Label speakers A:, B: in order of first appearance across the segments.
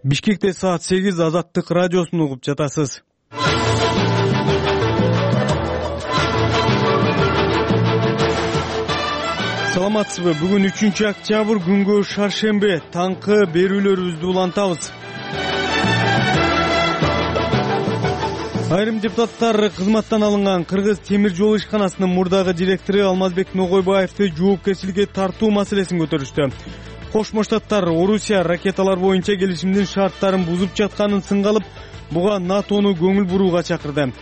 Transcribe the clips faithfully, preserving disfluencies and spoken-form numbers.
A: Бишкекте саат сегиз Азаттык радиосун угуп жатасыз. Саламатсызбы? Бүгүн үчүнчү октябрь күнгө шаршембе. Таңкы берүүлөрүбүздү улантабыз. Айрым депутаттар кызматтан алынган Кыргыз темир жол ишканасынын мурдагы директору Алмазбек Ногойбаевди жоопкерчиликке тартуу маселесин көтөрүштү. Кошмо Штаттар Орусия ракеталар боюнча келишимдин шарттарын бузуп жатканын сынга алып, буга НАТОну көңүл бурууга чакырды.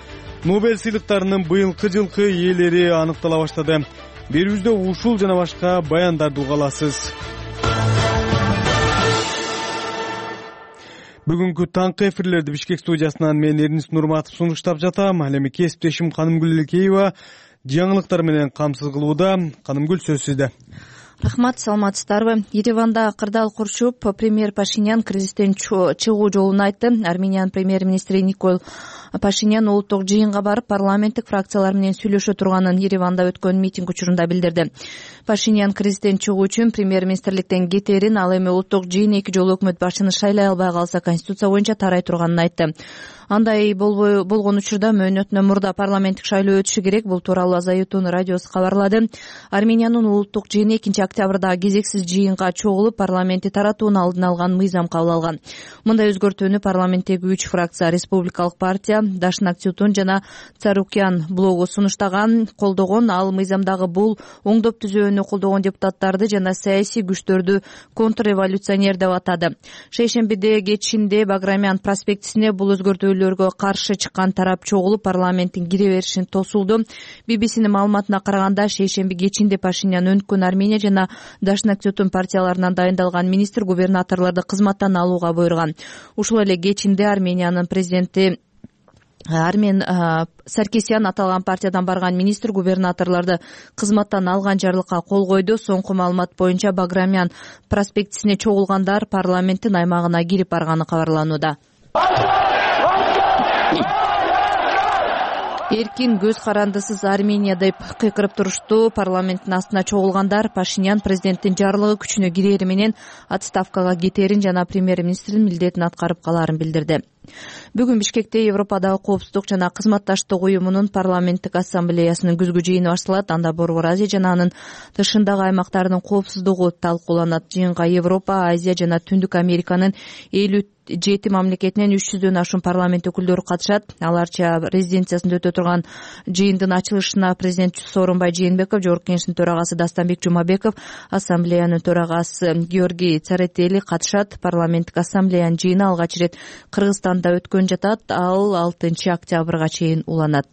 A: Нобель сыйлыктарынын быйылкы жылкы ээлери аныктала баштады. Берүүбүздө ушул жана башка баяндарды уга аласыз. Бүгүнкү таңкы эфирлерди Бишкек студиясынан мен Эрнис Нурматов сунуштап жатам. Ал эми кесиптешим Канымгүл Элекеева жаңылыктар менен камсыз кылууда. Канымгүл, сөз сизде.
B: Рахмат, саламатсыздарбы? Ереванда кырдаал курчуп, премьер Пашинян кризистен чыгуу жолун айтты. Армениянын премьер-министри Никол Пашинян улуттук жыйынга барып, парламенттик фракциялар менен сүйлөшө турганын Ереванда өткөн митинг учурунда билдирди. Пашинян кризистен чыгуу үчүн премьер-министрликтен кетерин, ал эми улуттук жыйын эки жолу өкмөт башчыны шайлай албай калса конституция боюнча тарай турганын айтты. Андай болбой болгон учурда мөөнөтүнөн мурда парламенттик шайлоо өтүшү керек. Бул тууралуу Азайтун радиосу кабарлады. Армениянын улуттук жыйыны экинчи октябрда кезексиз жыйынга чогулуп, парламентти таратууну алдын алган мыйзам кабыл алган. Мындай өзгөртүүнү парламенттеги үч фракция — Республикалык партия, Дашнак Тютун жана Царукян блогу сунуштаган, колдогон. Ал мыйзамдагы бул оңдоп түзөөнү колдогон депутаттарды жана саясий күчтөрдү контрреволюционер деп атады. Шейшембиде кечинде Баграмян проспектисине бул өзгөртүү каршы чыккан тарап чогулуп, парламенттин кире беришин тосулду. би би синин маалыматына караганда, шейшемби кечинде Пашинян Өнүккөн Армения жана Дашнак Тютун партияларынан дайындалган министр губернаторлорду кызматтан алууга буйруган. Ушул эле кечинде Армениянын президенти Армен Саркисян аталган партиядан барган министр губернаторлорду кызматтан алган жарлыкка кол койду. Соңку маалымат боюнча Баграмян проспектисине чогулгандар парламенттин аймагына кирип барганы кабарланууда. Эркин, көз карандысыз Армения деп кыйкырып турушту. Парламенттин астына чогулгандар Пашинян президенттин жарлыгы күчүнө кирери менен отставкага кетерин жана премьер-министрдин милдетин аткарып калаарын билдирди. Бүгүн Бишкекте Европадагы коопсуздук жана кызматташтык уюмунун парламенттик ассамблеясынын күзгү жыйыны башталат. Анда Борбор Азия жана анын тышындагы аймактардын коопсуздугу талкууланат. Жыйынга Европа, Азия жана Түндүк Американын элүү жети мамлекетинен үч жүздөн ашуун парламент өкүлдөрү катышат. Аларча резиденциясында өтө турган жыйындын ачылышына президент Сооронбай Жээнбеков, Жогорку Кеңештин төрагасы Дастанбек Жумабеков, ассамблеянын төрагасы Георгий Царетели катышат. Парламенттик ассамблеянын жыйыны алгач ирет Кыргызстанда өткөн жатат. Ал алтынчы октябрга чейин уланат.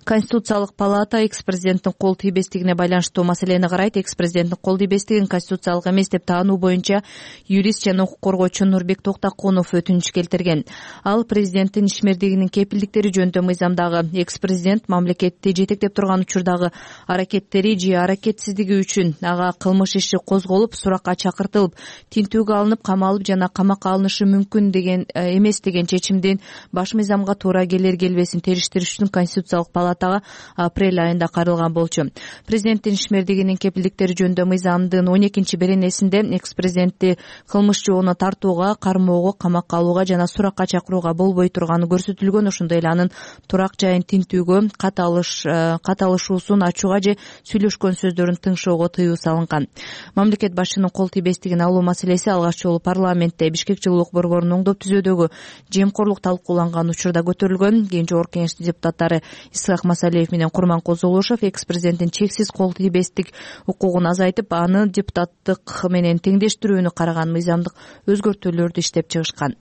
B: Конституциялык палата экс-президенттин кол тийбестигине байланыштуу маселени карайт. Экс-президенттин кол тийбестигин конституциялык эмес деп таануу боюнча юрист жана укук коргоочу Нурбек Токтокунов өтүнүч келтирген. Ал президенттин ишмердигинин кепилдиктери жөнүндө мыйзамдагы экс-президент мамлекетти жетектеп турган учурдагы аракеттери же аракетсиздиги үчүн ага кылмыш иши козголуп, суракка чакыртылып, тинтүүгө алынып, камалып жана камакка алынышы мүмкүн деген эмес деген чечимдин баш мыйзамга туура келер келбесин териштириш үчүн конституциялык палатага апрель айында каралган болчу. Президенттин ишмердигинин кепилдиктери жөнүндө мыйзамдын он экинчи беренесинде экс-президентти кылмыш жоона тартууга, кармоого, камакка алууга жана суракка чакырууга болбой турганы көрсөтүлгөн. Ошондой эле анын турак жайын тинтүүгө, кат алыш кат алышуусун ачууга же сүйлөшкөн сөздөрүн тыңшоого тыюу салынган. Мамлекет башчынын кол тийбестигин алуу маселеси алгач жолу парламентте Бишкек жылуулук борборунун оңдоп түзөөдөгү жемкорлук талкууланган учурда көтөрүлгөн. Кийин Жогорку Кеңештин депутаттары Исхак Масалиев менен Курманкул Золушев экс-президенттин чексиз кол тийбестик укугун азайтып, аны депутаттык менен теңдештирүүнү караган мыйзамдык өзгөртүүлөрдү иштеп чыгышкан.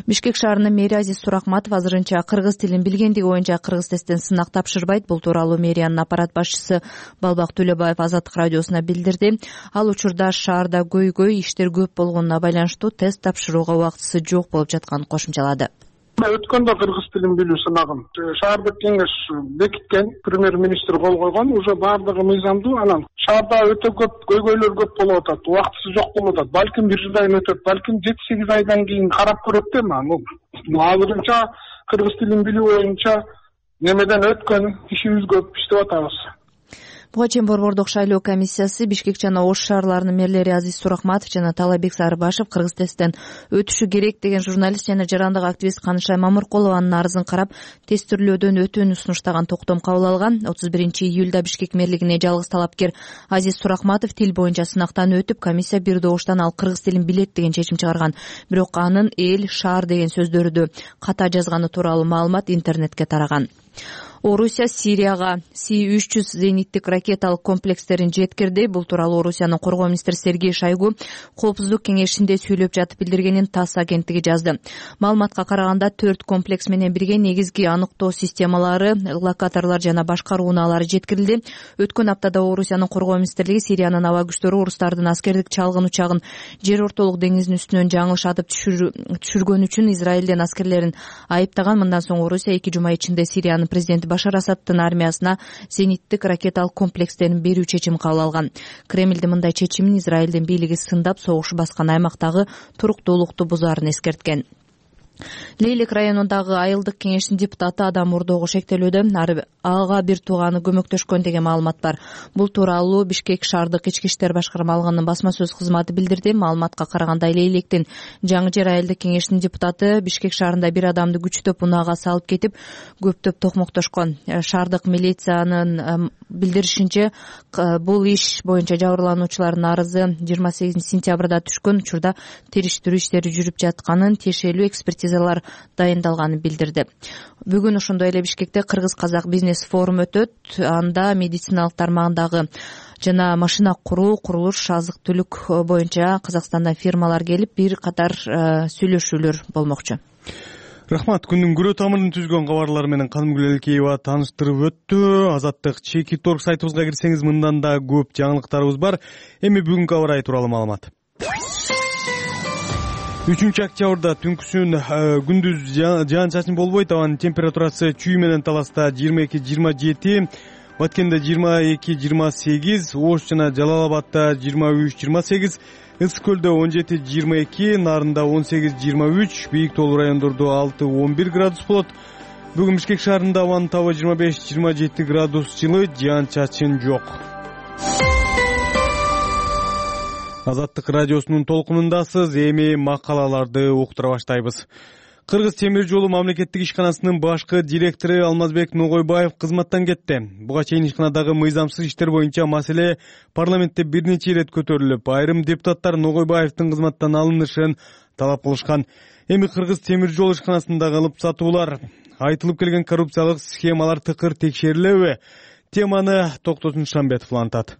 B: Бишкек шаарынын мэри Азиз Сурахматов азырынча кыргыз тилин билгендиги боюнча кыргыз тесттен сынак тапшырбайт. Бул тууралуу мэриянын аппарат башчысы Балбак Төлөбаев Азаттык радиосуна билдирди. Ал учурда шаарда көйгөй иштер көп болгонуна байланыштуу тест тапшырууга убактысы жок болуп жатканын кошумчалады.
C: Өткөндө кыргыз тилин билүү сынагын шаардык кеңеш бекиткен, премьер-министр кол койгон, уже баардыгы мыйзамдуу. Анан шаарда өтө көп көйгөйлөр көп болуп атат, убактысы жок болуп атат. Балким бир жылдан өтөт, балким жети сегиз айдан кийин карап көрөт да. Азырынча кыргыз тилин билүү боюнча немеден өткөн, ишибиз көп, иштеп атабыз.
B: Буга чейин Борбордук шайлоо комиссиясы Бишкек жана Ош шаарларынын мэрлери Азиз Суракматов жана Талайбек Сарыбашев Кыргыз тесттен өтүшү керек деген журналист жана жарандык активист Канышай Мамыркулованын арызын карап тестирлөөдөн өтүүнү сунуштаган токтом кабыл алган. отуз биринчи июлда Бишкек мэрлигине жалгыз талапкер Азиз Суракматов тил боюнча сынактан өтүп, комиссия бир добуштан ал кыргыз тилин билет деген чечим чыгарган. Бирок анын эл, шаар деген сөздөрдү ката жазганы тууралуу маалымат интернетке тараган. Орусия Сирияга Си үч жүз зениттик ракеталык комплекстерин жеткирди. Бул тууралуу Орусиянын коргоо министри Сергей Шойгу Коопсуздук кеңешинде сүйлөп жатып билдиргенин ТАСС агенттиги жазды. Маалыматка караганда төрт комплекс менен бирге негизги аныктоо системалары, локаторлор жана башкаруу унаалары жеткирилди. Өткөн аптада Орусиянын коргоо министрлиги Сириянын аба күчтөрү орустардын аскердик чалгын учагын жер ортолук деңиздин үстүнөн жаңылыш атып түшүргөн үчүн Израилден аскерлерин айыптаган. Мындан соң Орусия эки жума ичинде Сириянын президенти Башар Асадтын армиясына зениттик ракеталык комплекстерин берүү чечим кабыл алган. Кремлдин мындай чечимин Израилдин бийлиги сындап, согуш баскан аймактагы туруктуулукту бузаарын эскерткен. Лейлек районундагы айылдык кеңештин депутаты адам мурдоого шектелүүдө, ага бир тууганы көмөктөшкөн деген маалымат бар. Бул тууралуу Бишкек шаардык ички иштер башкармалыгынын басма сөз кызматы билдирди. Маалыматка караганда Лейлектин Жаңы жер айылдык кеңештин депутаты Бишкек шаарында бир адамды күчтөп унаага салып кетип, көптөп токмоктошкон. Шаардык милициянын билдиришинче, бул иш боюнча жабырлануучулардын арызы жыйырма сегизинчи сентябрда түшкөн. Учурда териштирүү иштери жүрүп жатканын, тиешелүү экспертизалар дайындалганын билдирди. Бүгүн ошондой эле Бишкекте кыргыз-казак бизнес форум өтөт. Анда медициналык тармагындагы жана машина куруу, курулуш, азык-түлүк боюнча Казакстандан фирмалар келип, бир катар сүйлөшүүлөр болмокчу.
A: Рахмат. Күндүн күрөө тамырын түзгөн кабарлар менен Канымгүл Элкеева тааныштырып өттү. Азаттык чеки торг сайтыбызга кирсеңиз, мындан да көп жаңылыктарыбыз бар. Эми бүгүнкү аба ырайы тууралуу маалымат. үчүнчү октябрда түнкүсүн күндүз жаан-чачын болбойт. Абанын температурасы чүй менен Таласта жыйырма эки жыйырма жети, Баткенде жыйырма эки жыйырма сегиз, Ош жана Жалал Абадта жыйырма үч жыйырма сегиз, Ысык көлдө он жети жыйырма эки, Нарында он сегиз жыйырма үч, Бийик тоолуу райондордо алты он бир градус болот. Бүгүн Бишкек шаарында абанын табы жыйырма беш жыйырма жети градус жылы, жаан-чачын жок. Азаттык радиосунун толкунундасыз. Эми макалаларды уктура баштайбыз. Кыргыз темир жолу мамлекеттик ишканасынын башкы директору Алмазбек Ногойбаев кызматтан кетти. Буга чейин ишканадагы мыйзамсыз иштер боюнча маселе парламентте бир нече ирет көтөрүлүп, айрым депутаттар Ногойбаевдин кызматтан алынышын талап кылышкан. Эми Кыргыз темир жол ишканасындагы алып сатуулар, айтылып келген коррупциялык схемалар тыкыр текшерилеби? Теманы Токтосун Шамбетов улантат.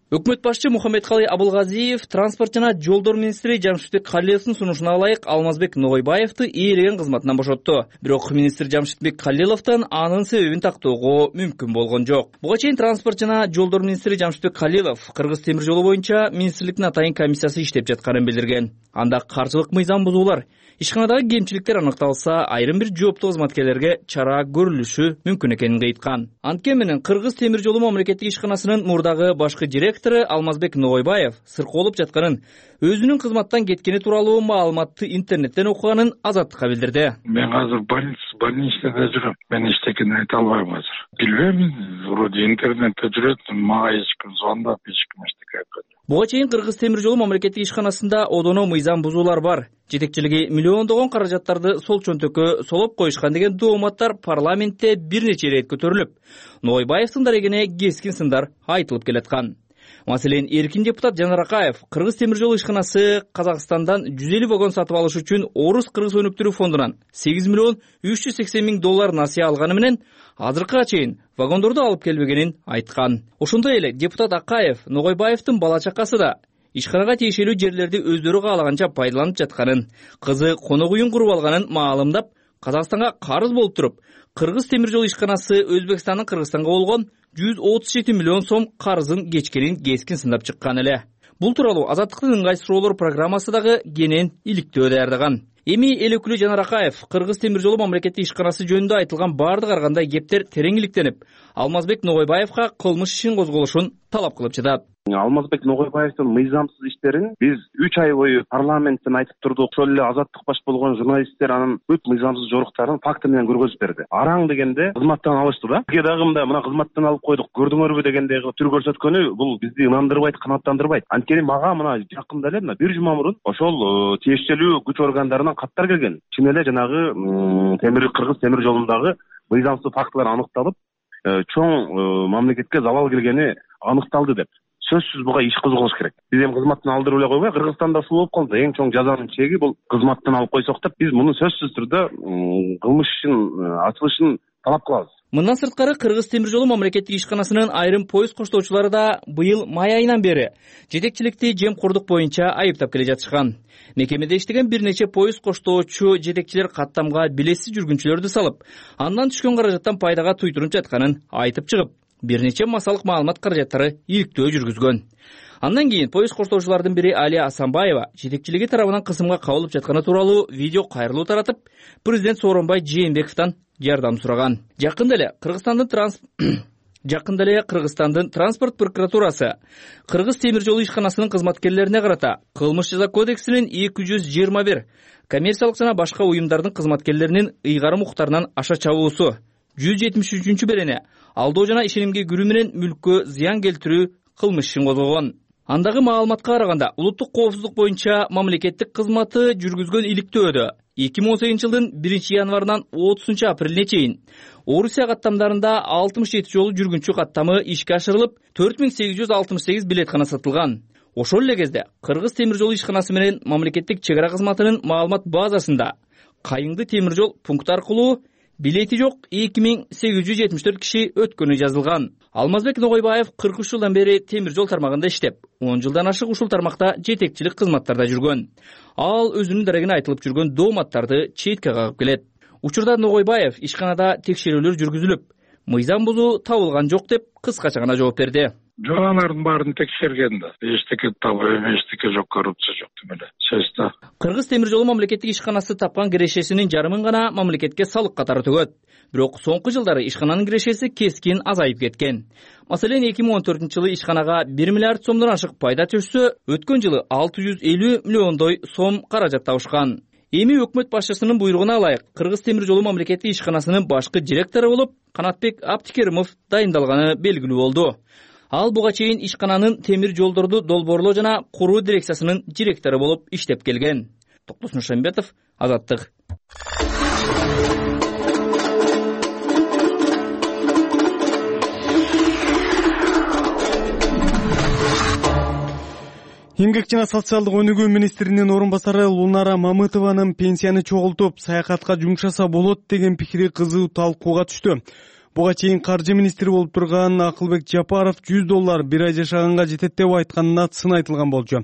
D: Өкмөт башчы Мухаммедкалый Абылгазиев транспорт жана жолдор министри Жамшитбек Калиловдун сунушуна ылайык Алмазбек Ногойбаевди ээлеген кызматынан бошотту. Бирок министр Жамшитбек Калиловдон анын себебин тактоого мүмкүн болгон жок. Буга чейин транспорт жана жолдор министри Жамшитбек Калилов Кыргыз темир жолу боюнча министрликтин атайын комиссиясы иштеп жатканын билдирген. Анда каржылык мыйзам бузуулар, ишканадагы кемчиликтер аныкталса, айрым бир жооптуу кызматкерлерге чара көрүлүшү мүмкүн экенин айткан. Анткени менен Кыргыз темир жолу мамлекеттик ишканасынын мурдагы башкы директору Алмазбек Ногойбаев сыркоолуп жатканын, өзүнүн кызматтан кеткени тууралуу маалыматты интернеттен окуганын Азаттыкка билдирди.
E: Мен азыр больницада жүрөм. Мен эчтекени айта албайм азыр. Билбейм, вроде интернетте жүрөт, мага эч ким звондап, эч ким эчтеке айткан.
D: Буга чейин Кыргыз темир жолу мамлекеттик ишканасында одоно мыйзам бузуулар бар. Жетекчилиги миллиондогон каражаттарды сол чөнтөккө солоп коюшкан деген дооматтар парламентте бир нече ирет көтөрүлүп, Ногойбаевдин дарегине кескин сындар айтылып келаткан. Маселен, эркин депутат Жанар Акаев Кыргыз темир жолу ишканасы Казакстандан жүз элүү вагон сатып алыш үчүн Орус кыргыз өнүктүрүү фондунан сегиз миллион үч жүз сексен миң доллар насыя алганы менен азыркыга чейин вагондорду алып келбегенин айткан. Ошондой эле депутат Акаев Ногойбаевдин бала чакасы да ишканага тиешелүү жерлерди өздөрү каалаганча пайдаланып жатканын, кызы конок үйүн куруп алганын маалымдап, Казакстанга карыз болуп туруп, Кыргыз темир жолу ишканасы Өзбекстандын Кыргызстанга болгон жүз отуз жети миллион сом карызын кечкенин кескин сындап чыккан эле. Бул тууралуу Азаттыктын ыңгай суроолор программасы дагы кенен иликтөө даярдаган. Эми эл өкүлү Жанар Акаев Кыргыз темир жолу мамлекеттик ишканасы жөнүндө айтылган бардык ар кандай кептер терең иликтенип, Алмазбек Ногойбаевга кылмыш ишин козголушун талап кылып жатат.
F: Алмазбек Ногойбаевдин мыйзамсыз иштерин биз үч ай бою парламенттен айтып турдук. Ошол эле азаттык баш болгон журналисттер анын бүт мыйзамсыз жоруктарын факты менен көргөзүп берди. Араң дегенде кызматтан алышты да. Бизге дагы мындай мына кызматтан алып койдук, көрдүңөрбү дегендей түр көрсөткөнү бул бизди ынандырбайт, канааттандырбайт. Анткени мага мына жакында эле мына бир жума мурун ошол тиешелүү күч органдарынан каттар келген. Чын эле жанагы темир кыргыз темир жолундагы мыйзамсыз фактылар аныкталып, чоң мамлекетке залал келгени аныкталды деп. Сөзсүз буга иш козголуш керек. Биз эми кызматтан алдырып эле койбой, Кыргызстанда ушул болуп калды. Эң чоң жазанын чеги бул кызматтан алып койсок деп, биз муну сөзсүз түрдө кылмыш ишин ачылышын талап кылабыз.
D: Мындан сырткары Кыргыз темир жолу мамлекеттик ишканасынын айрым поезд коштоочулары да быйыл май айынан бери жетекчиликти жемкордук боюнча айыптап келе жатышкан. Мекемеде иштеген бир нече поезд коштоочу жетекчилер каттамга билетсиз жүргүнчүлөрдү салып, андан түшкөн каражаттан пайдага туйтуруп жатканын айтып чыгып, бир нече массалык маалымат каражаттары иликтөө жүргүзгөн. Андан кийин поезд коштоочулардын бири Алия Асанбаева жетекчилиги тарабынан кысымга кабылып жатканы тууралуу видео кайрылуу таратып, президент Сооронбай Жээнбековдон жардам сураган. Жакында эле Кыргызстандын транс Жакында эле Кыргызстандын транспорт прокуратурасы Кыргыз темир жолу ишканасынын кызматкерлерине карата кылмыш жаза кодексинин эки жүз жыйырма бир коммерциялык жана башка уюмдардын кызматкерлеринин ыйгарым укуктарынан аша чабуусу жүз жетимиш үчүнчү берене алдоо жана ишенимге кирүү менен мүлккө зыян келтирүү кылмыш ишин козгогон. Андагы маалыматка караганда улуттук коопсуздук боюнча мамлекеттик кызматы жүргүзгөн иликтөөдө эки миң он сегизинчи жылдын биринчи январынан отузунчу апрелине чейин Орусия каттамдарында алтымыш жети жолу жүргүнчү каттамы ишке ашырылып, төрт миң сегиз жүз алтымыш сегиз билеткана сатылган. Ошол эле кезде Кыргыз темир жолу ишканасы менен мамлекеттик чек ара кызматынын маалымат базасында Кайыңды темир жол пункты аркылуу билети жок эки миң сегиз жүз жетимиш төрт киши өткөнү жазылган. Алмазбек Ногойбаев кырк үч жылдан бери темир жол тармагында иштеп, он жылдан ашык ушул тармакта жетекчилик кызматтарда жүргөн. Ал өзүнүн дарегине айтылып жүргөн дооматтарды четке кагып келет. Учурда Ногойбаев ишканада текшерүүлөр жүргүзүлүп, мыйзам бузуу табылган жок деп кыскача гана жооп берди.
E: Жок, алардын баарын текшерген да. Эчтеке табылып, эчтеке жок, коррупция жок деп эле. Сөздөр.
D: Кыргыз темир жолу мамлекеттик ишканасы тапкан кирешесинин жарымын гана мамлекетке салык катары төгөт. Бирок соңку жылдары ишкананын кирешеси кескин азайып кеткен. Маселен, эки миң он төртүнчү жылы ишканага бир миллиард сомдон ашык пайда түшсө, өткөн жылы алты жүз элүү миллиондой сом каражат табышкан. Эми өкмөт башчысынын буйругуна ылайык Кыргыз темир жолу мамлекеттик ишканасынын башкы директору болуп Канатбек Аптикеримов дайындалганы белгилүү болду. Ал буга чейин ишкананын темир жолдорду долбоорлоо жана куруу дирекциясынын директору болуп иштеп келген. Токтос Нуршамбетов, Азаттык.
A: Эмгек жана социалдык өнүгүү министринин орун басары Лунара Мамытованын пенсияны чогултуп, саякатка жумшаса болот деген пикири кызуу талкууга түштү. Буга чейин каржы министри болуп турган Акылбек Жапаров жүз доллар бир ай жашаганга жетет деп айтканына сын айтылган болчу.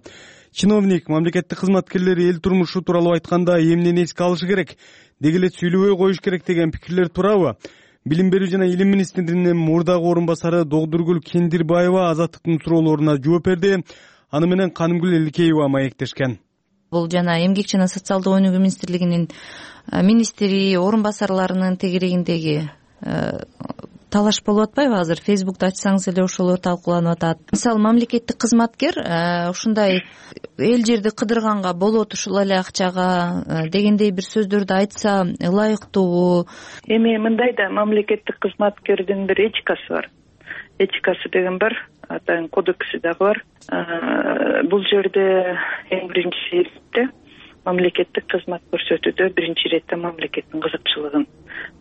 A: Чиновник мамлекеттик кызматкерлер эл турмушу тууралуу айтканда эмнени эске алышы керек, деги эле сүйлөбөй коюш керек деген пикирлер туурабы? Билим берүү жана илим министринин мурдагы орун басары Догдургүл Кендирбаева Азаттыктын суроолоруна жооп берди. Аны менен Канымгүл Эликеева маектешкен.
B: Бул жана эмгек жана социалдык өнүгүү министрлигинин министри орун басарларынын тегерегиндеги талаш болуп атпайбы? Азыр Фейсбукта ачсаңыз эле ошолор талкууланып атат. Мисалы, мамлекеттик кызматкер ушундай эл жерди кыдырганга болот ушул эле акчага дегендей бир сөздөрдү айтса ылайыктуубу?
G: Эми мындай да, мамлекеттик кызматкердин бир этикасы бар. Этикасы деген бар, атайын кодекси дагы бар. Бул жерде эң биринчи иретте мамлекеттик кызмат көрсөтүүдө биринчи иретте мамлекеттин кызыкчылыгын,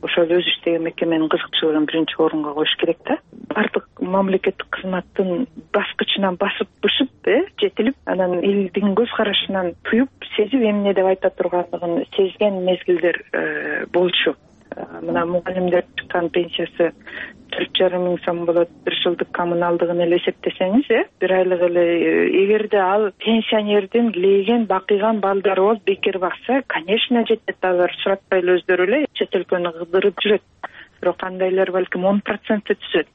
G: ошол өзү иштеген мекеменин кызыкчылыгын биринчи орунга коюш керек да. Бардык мамлекеттик кызматтын баскычынан басып бышып, э, жетилип, анан элдин көз карашынан туюп, сезип эмне деп айта тургандыгын сезген мезгилдер болчу. Мына мугалимдер чыккан пенсиясы төрт жарым миң сом болот, бир жылдык коммуналдыгын эле эсептесеңиз, э, бир айлык эле, эгерде ал пенсионердин лейген, бакыйган балдары болуп бекер бакса, конечно жетет. Алар суратпай эле өздөрү эле чет өлкөнү кыдырып жүрөт. Бирок кандайлар балким он процентти түзөт.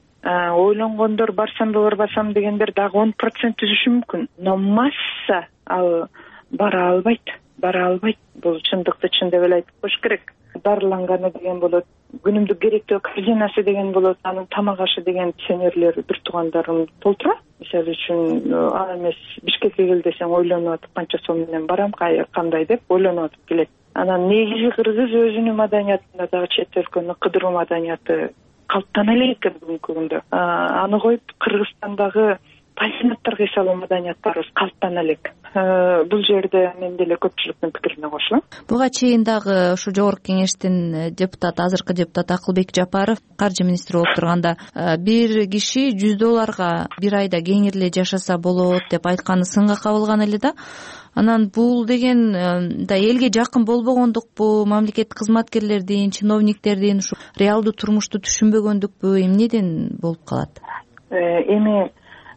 G: Ойлонгондор барсам да барбасам дегендер дагы он процент түзүшү мүмкүн. Но масса ал бара албайт, бара албайт. Бул чындыкты чын деп эле айтып коюш керек. дарыланганы деген болот, күнүмдүк керектөө корзинасы деген болот, анын тамак ашы деген пенсионерлер бир туугандарым толтурат. Мисалы үчүн ал эмес Бишкекке кел десең ойлонуп атып канча сом менен барам, кандай деп ойлонуп атып келет. Анан негизи кыргыз өзүнүн маданиятында дагы чет өлкөнү кыдыруу маданияты калыптана элек экен бүгүнкү күндө. Аны коюп Кыргызстандагы пансионаттарга эс алуу маданияттарыбыз калыптана элек. Бул жерде мен деле көпчүлүктүн пикирине кошулам.
B: Буга чейин дагы ушу жогорку кеңештин депутаты, азыркы депутат Акылбек Жапаров каржы министри болуп турганда бир киши жүз долларга бир айда кеңирле жашаса болот деп айтканы сынга кабылган эле да. Анан бул деген да элге жакын болбогондукпу, мамлекеттик кызматкерлердин, чиновниктердин ушу реалдуу турмушту түшүнбөгөндүкпү, эмнеден болуп калат?
G: Эми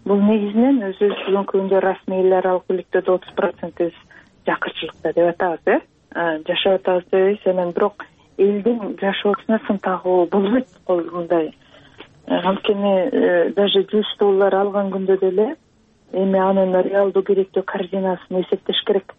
G: бул негизинен өзүбүз бүгүнкү күндө расмий эл аралык бийликтөрдө отуз проценти жакырчылыкта деп атабыз, э жашап атабыз дейбиз. Анан бирок элдин жашоосуна сын тагуу болбойт мындай. Анткени даже жүз доллар алган күндө деле эми анын реалдуу керектөө корзинасын эсептеш керек.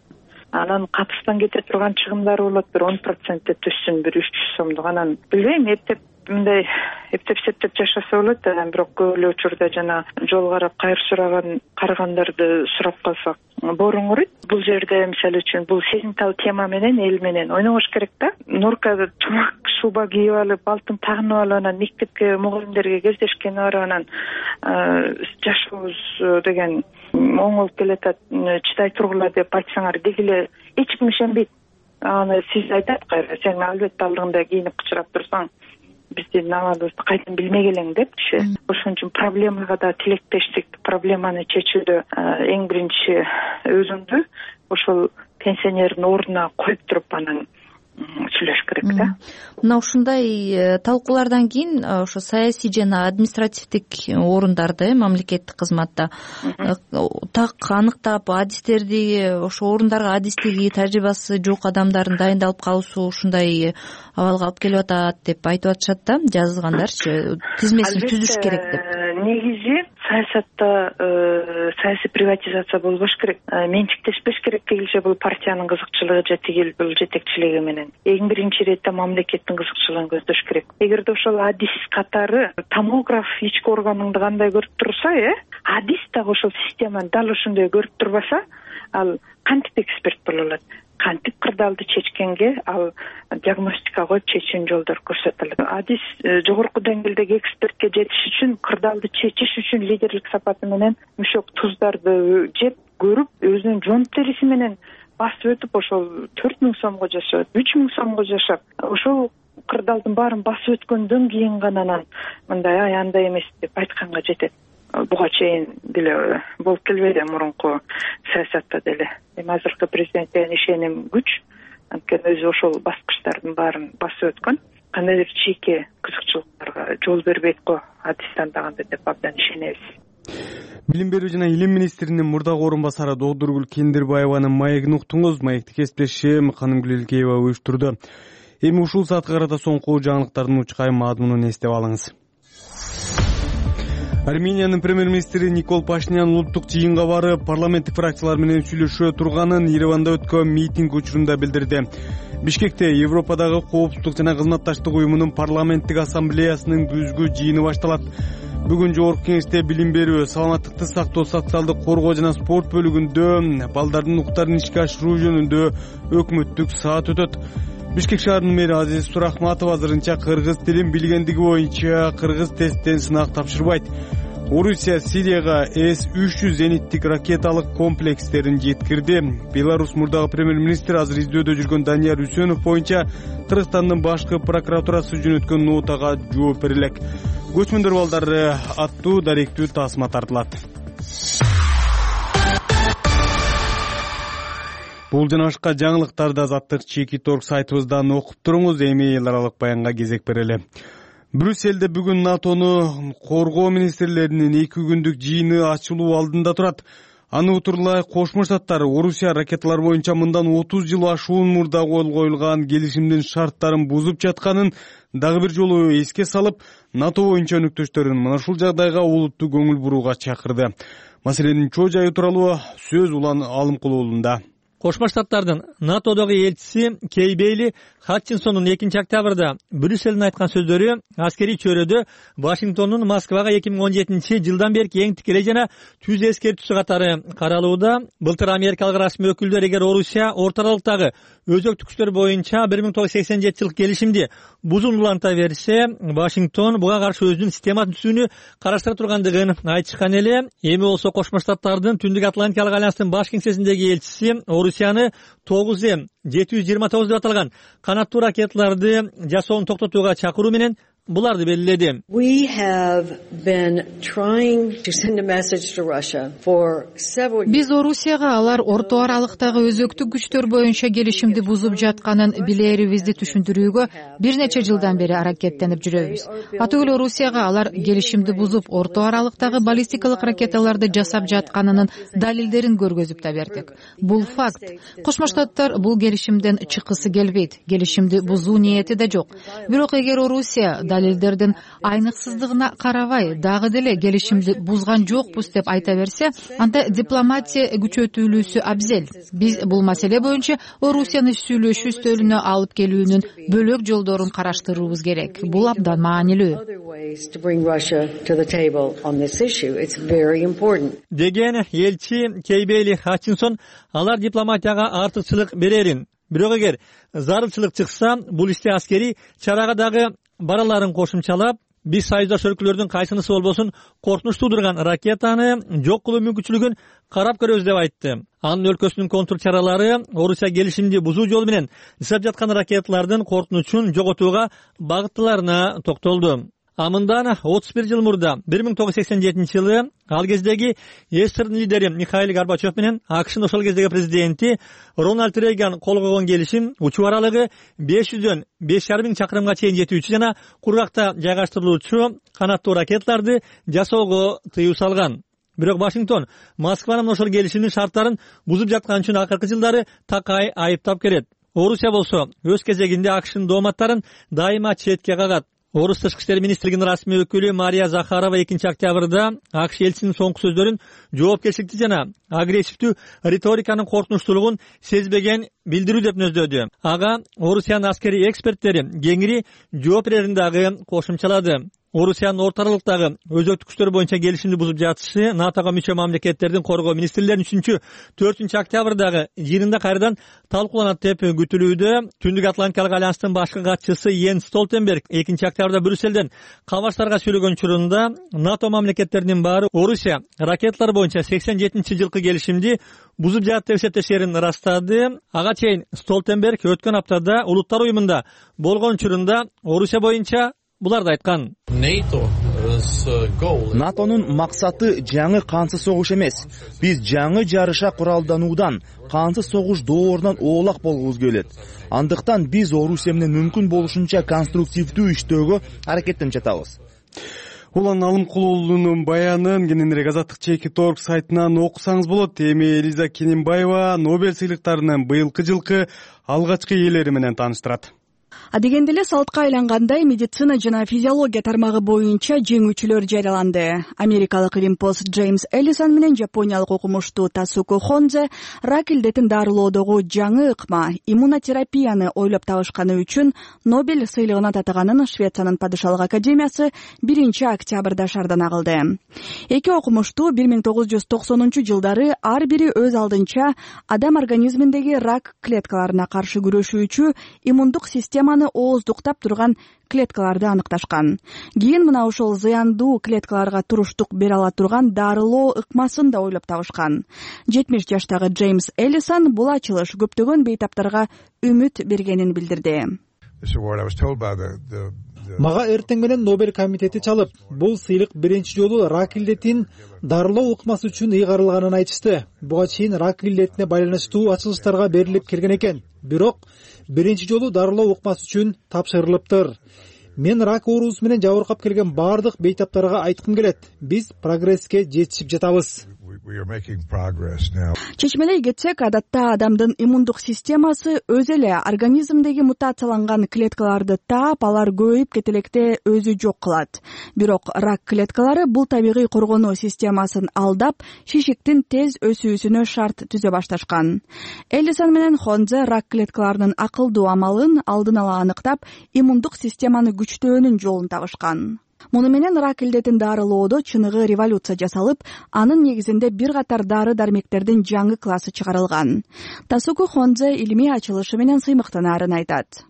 G: Анан катыштан кете турган чыгымдар болот, бир он процентте түшсүн, бир үч жүз сомдук. Анан билбейм, эптеп мындай эптеп септеп жашаса болот. Анан бирок көп эле учурда жана жол карап кайыр сураган карагандарды сурап калсак боорун курuyт. Бул жерде мисалы үчүн бул сезимтал тема менен эл менен ойнобош керек да. Нурка чумак шуба кийип алып, алтын тагынып алып, анан мектепке мугалимдерге кездешкени барып, анан жашообуз деген оң болуп келатат, чыдай тургула деп айтсаңар дегиле эч ким ишенбейт. Аны сиз айтат кайра, сен албетте алдыңда кийинип кычырап турсаң, биздин абалыбызды кайдан билмек элең депчи. Ошон үчүн проблемага да тилектештик, проблеманы чечүүдө эң биринчи өзүңдү ошол пенсионердин ордуна коюп туруп анан сүйлөш керек да.
B: Мына ушундай талкуулардан кийин ошо саясий жана административдик орундарды мамлекеттик кызматта так аныктап, адистерди ошо орундарга адистиги, тажрыйбасы жок адамдардын дайындалып калуусу ушундай абалга алып келип атат деп айтып атышат да, жазгандарчы, тизмесин түзүш керек деп.
G: Негизи саясатта саясий приватизация болбош керек, менчиктешпеш керек дегилче бул партиянын кызыкчылыгы же тигил бул жетекчилиги менен. Эң биринчи иретте мамлекеттин кызыкчылыгын көздөш керек. Эгерде ошол адис катары томограф ички органыңды кандай көрүп турса, э, адис дагы ошол системаны дал ошондой көрүп турбаса, ал кантип эксперт боло алат? Кантип кырдаалды чечкенге ал диагностика коюп чечүүнүн жолдору көрсөтүлөт. Адис жогорку деңгээлдеги экспертке жетиш үчүн, кырдаалды чечиш үчүн лидерлик сапаты менен мушок туздарды жеп көрүп, өзүнүн жон териси менен басып өтүп, ошол төрт миң сомго жашап, үч миң сомго жашап, ошол кырдаалдын баарын басып өткөндөн кийин гана анан мындай ай андай эмес деп айтканга жетет. Буга чейин деле болуп келбейди мурунку саясатта деле. Эми азыркы президентке ишеним күч, анткени өзү ошол баскычтардын баарын басып өткөн. Кандайдыр чийки кызыкчылыктарга жол бербейт го адис тандаганда деп абдан ишенебиз.
A: Билим берүү жана илим министринин мурдагы орун басары Доодургүл Кендирбаеванын маегин уктуңуз. Маекти кесиптешим Канымгүл Элкеева уюштурду. Эми ушул саатка карата соңку жаңылыктардын учкай мазмунун эстеп алыңыз. Армениянын премьер-министри Никол Пашинян улуттук жыйынга барып, парламенттик фракциялар менен сүйлөшө турганын Ереванда өткөн митинг учурунда билдирди. Бишкекте Европадагы коопсуздук жана кызматташтык уюмунун парламенттик ассамблеясынын күзгү жыйыны башталат. Бүгүн жогорку кеңеште билим берүү, саламаттыкты сактоо, социалдык коргоо жана спорт бөлүгүндө балдардын укуктарын ишке ашыруу жөнүндө өкмөттүк саат өтөт. Бишкек шаарынын мэри Азиз Сурахматов азырынча кыргыз тилин билгендиги боюнча кыргыз тесттен сынак тапшырбайт. Орусия Сирияга эс үч жүз зениттик ракеталык комплекстерин жеткирди. Беларусь мурдагы премьер-министр азыр издөөдө жүргөн Данияр Үсөнов боюнча Кыргызстандын башкы прокуратурасы жөнөткөн нотага жооп берилет. Көчмөндөр балдары аттуу даректүү тасма тартылат. Бул жана башка жаңылыктарды Азаттык Чеки Торг сайтыбыздан окуп туруңуз. Эми эл аралык баянга кезек берели. Брюсселде бүгүн НАТОнун коргоо министрлеринин эки күндүк жыйыны ачылуу алдында турат. Аны утурлай Кошмо Штаттар Орусия ракеталар боюнча мындан отуз жыл ашуун мурда кол коюлган келишимдин шарттарын бузуп жатканын дагы бир жолу эске салып, НАТО боюнча өнөктөштөрүн мына ушул жагдайга олуттуу көңүл бурууга чакырды. Маселенин чоо жайы тууралуу сөз Улан Алымкулуулунда.
H: Кошмо Штаттардын НАТОдогу элчиси Кей Бейли Хатчинсондун экинчи октябрда Брюссельдин айткан сөздөрү аскерий чөйрөдө Вашингтондун Москвага эки миң он жетинчи жылдан берки эң тикелей жана түз эскертүүсү катары каралууда. Былтыр америкалык расмий өкүлдөр эгер Орусия Орто Аралыктагы өзөктүк күчтөр боюнча бир миң тогуз жүз сексен жетинчи жылкы келишимди бузууну уланта берсе, Вашингтон буга каршы өзүнүн системасын түзүүнү караштыра тургандыгын айтышкан эле. Эми болсо Кошмо Штаттардын Түндүк Атлантикалык альянстын баш кеңсесиндеги элчиси Орусияны тогуз М жети жүз жыйырма тогуз деп аталган канаттуу ракеталарды жасоонун токтотууга чакыруу менен буларды белгиледи.
I: Биз Орусияга алар Орто Аралыктагы өзөктүк күчтөр боюнча келишимди бузуп жатканын билерибизди түшүндүрүүгө бир нече жылдан бери аракеттенип жүрөбүз. Аты эле Орусияга алар келишимди бузуп Орто Аралыктагы баллистикалык ракеталарды жасап жатканынын далилдерин көргөзүп да бердик. Бул факт. Кошмо Штаттар бул келишимден чыккысы келбейт. Келишимди бузуу ниети да жок. Бирок эгер Орусия далилдердин айныксыздыгына карабай дагы деле келишимди бузган жокпуз деп айта берсе, анда дипломатия күчөтүлүүсү абзел. Биз бул маселе боюнча Орусияны сүйлөшүү стөлүнө алып келүүнүн бөлөк жолдорун караштырууубуз керек. Бул абдан маанилүү
H: деген элчи Кей Бейли Хатчинсон. Алар дипломатияга артыкчылык берерин, бирок эгер зарылчылык чыкса, бул иште аскерий чарага дагы бараларын кошумчалап, биз союздаш өлкөлөрдүн кайсынысы болбосун коркунуч туудурган ракетаны жок кылуу мүмкүнчүлүгүн карап көрөбүз деп айтты. Анын өлкөсүнүн контур чаралары Орусия келишимди бузуу жолу менен жасап жаткан ракеталардын коркунучун жоготууга багыттыларына токтолду. Амындан отуз бир жыл мурда бир миң тогуз жүз сексен жетинчи жылы ал кездеги СССРдин лидери Михаил Горбачев менен АКШнын ошол кездеги президенти Рональд Рейган кол койгон келишим учуу аралыгы беш жүздөн беш жарым миң чакырымга чейин жетүүчү жана кургакта жайгаштырылуучу канаттуу ракеталарды жасоого тыюу салган. Бирок Вашингтон Москванын ошол келишимдин шарттарын бузуп жаткан үчүн акыркы жылдары такай айыптап келет. Орусия болсо өз кезегинде АКШнын дооматтарын дайыма четке кагат. Орус тышкы иштер министрлигинин расмий өкүлү Мария Захарова экинчи октябрда АКШ элчисинин соңку сөздөрүн жоопкерчиликтүү жана агрессивдүү риториканын коркунучтуулугун сезбеген билдирүү деп нөздөдү. Ага Орусиянын аскерий эксперттери кеңири жооп берерин дагы кошумчалады. Орусиянын Орто Аралыктагы өзөктүк күчтөр боюнча келишимди бузуп жатышы НАТОго мүчө мамлекеттердин коргоо министрлеринин үчүнчү төртүнчү октябрдагы жыйынында кайрадан талкууланат деп күтүлүүдө. Түндүк Атлантикалык альянстын башкы катчысы Йенс Столтенберг экинчи октябрда Брюссельден кабарчыларга сүйлөгөн учурунда НАТО мамлекеттеринин баары Орусия ракеталар боюнча сексен жетинчи жылкы келишимди бузуп жатат деп эсептешерин ырастады. Ага чейин Столтенберг өткөн аптада Улуттар уюмунда болгон учурунда Орусия боюнча буларды айткан.
J: НАТОнун максаты жаңы кансыз согуш эмес. Биз жаңы жарыша куралдануудан, кансыз согуш доорунан оолак болгубуз келет. Андыктан биз Орусия менен мүмкүн болушунча конструктивдүү иштөөгө аракеттенип жатабыз.
A: Улан Алымкулуулунун баянын кененирээк азаттык чеки торг сайтынан окусаңыз болот. Эми Элиза Кененбаева Нобель сыйлыктарынын быйылкы жылкы алгачкы ээлери менен тааныштырат.
K: Адегенде эле салтка айлангандай медицина жана физиология тармагы боюнча жеңүүчүлөр жарыяланды. Америкалык илимпоз Джеймс Эллисон менен жапониялык окумуштуу Тасуко Хонзе рак илдетин дарылоодогу жаңы ыкма иммунотерапияны ойлоп табышканы үчүн Нобель сыйлыгына татыганын Швециянын падышалык академиясы биринчи октябрда шаардана кылды. Эки окумуштуу бир миң тогуз жүз токсонунчу жылдары ар бири өз алдынча адам организминдеги рак клеткаларына каршы күрөшүүчү иммундук системаны ооздуктап турган клеткаларды аныкташкан. Кийин мына ошол зыяндуу клеткаларга туруштук бере ала турган дарылоо ыкмасын да ойлоп табышкан. жетимиш жаштагы Джеймс Эллисон бул ачылыш көптөгөн бейтаптарга үмүт бергенин билдирди.
L: Мага эртең менен Нобель комитети чалып, бул сыйлык биринчи жолу рак илдетин дарылоо ыкмасы үчүн ыйгарылганын айтышты. Буга чейин рак илдетине байланыштуу ачылыштарга берилип келген экен. Бирок биринчи жолу дарылоо ыкмасы үчүн тапшырылыптыр. Мен рак оорусу менен жабыркап келген бардык бейтаптарга айткым келет. Биз прогресске жетишип жатабыз.
K: чечмелей кетсек, адатта адамдын иммундук системасы өз эле организмдеги мутацияланган клеткаларды таап, алар көбөйүп кете электе өзү жок кылат. Бирок рак клеткалары бул табигый коргонуу системасын алдап, шишиктин тез өсүүсүнө шарт түзө башташкан. Эллисон менен Хонзе рак клеткаларынын акылдуу амалын алдын ала аныктап, иммундук системаны күчтөөнүн жолун табышкан. Муну менен рак илдетин дарылоодо чыныгы революция жасалып, анын негизинде бир катар дары-дармектердин жаңы классы чыгарылган. Тасуку Хонзе илимий ачылышы менен сыймыктанаарын айтат.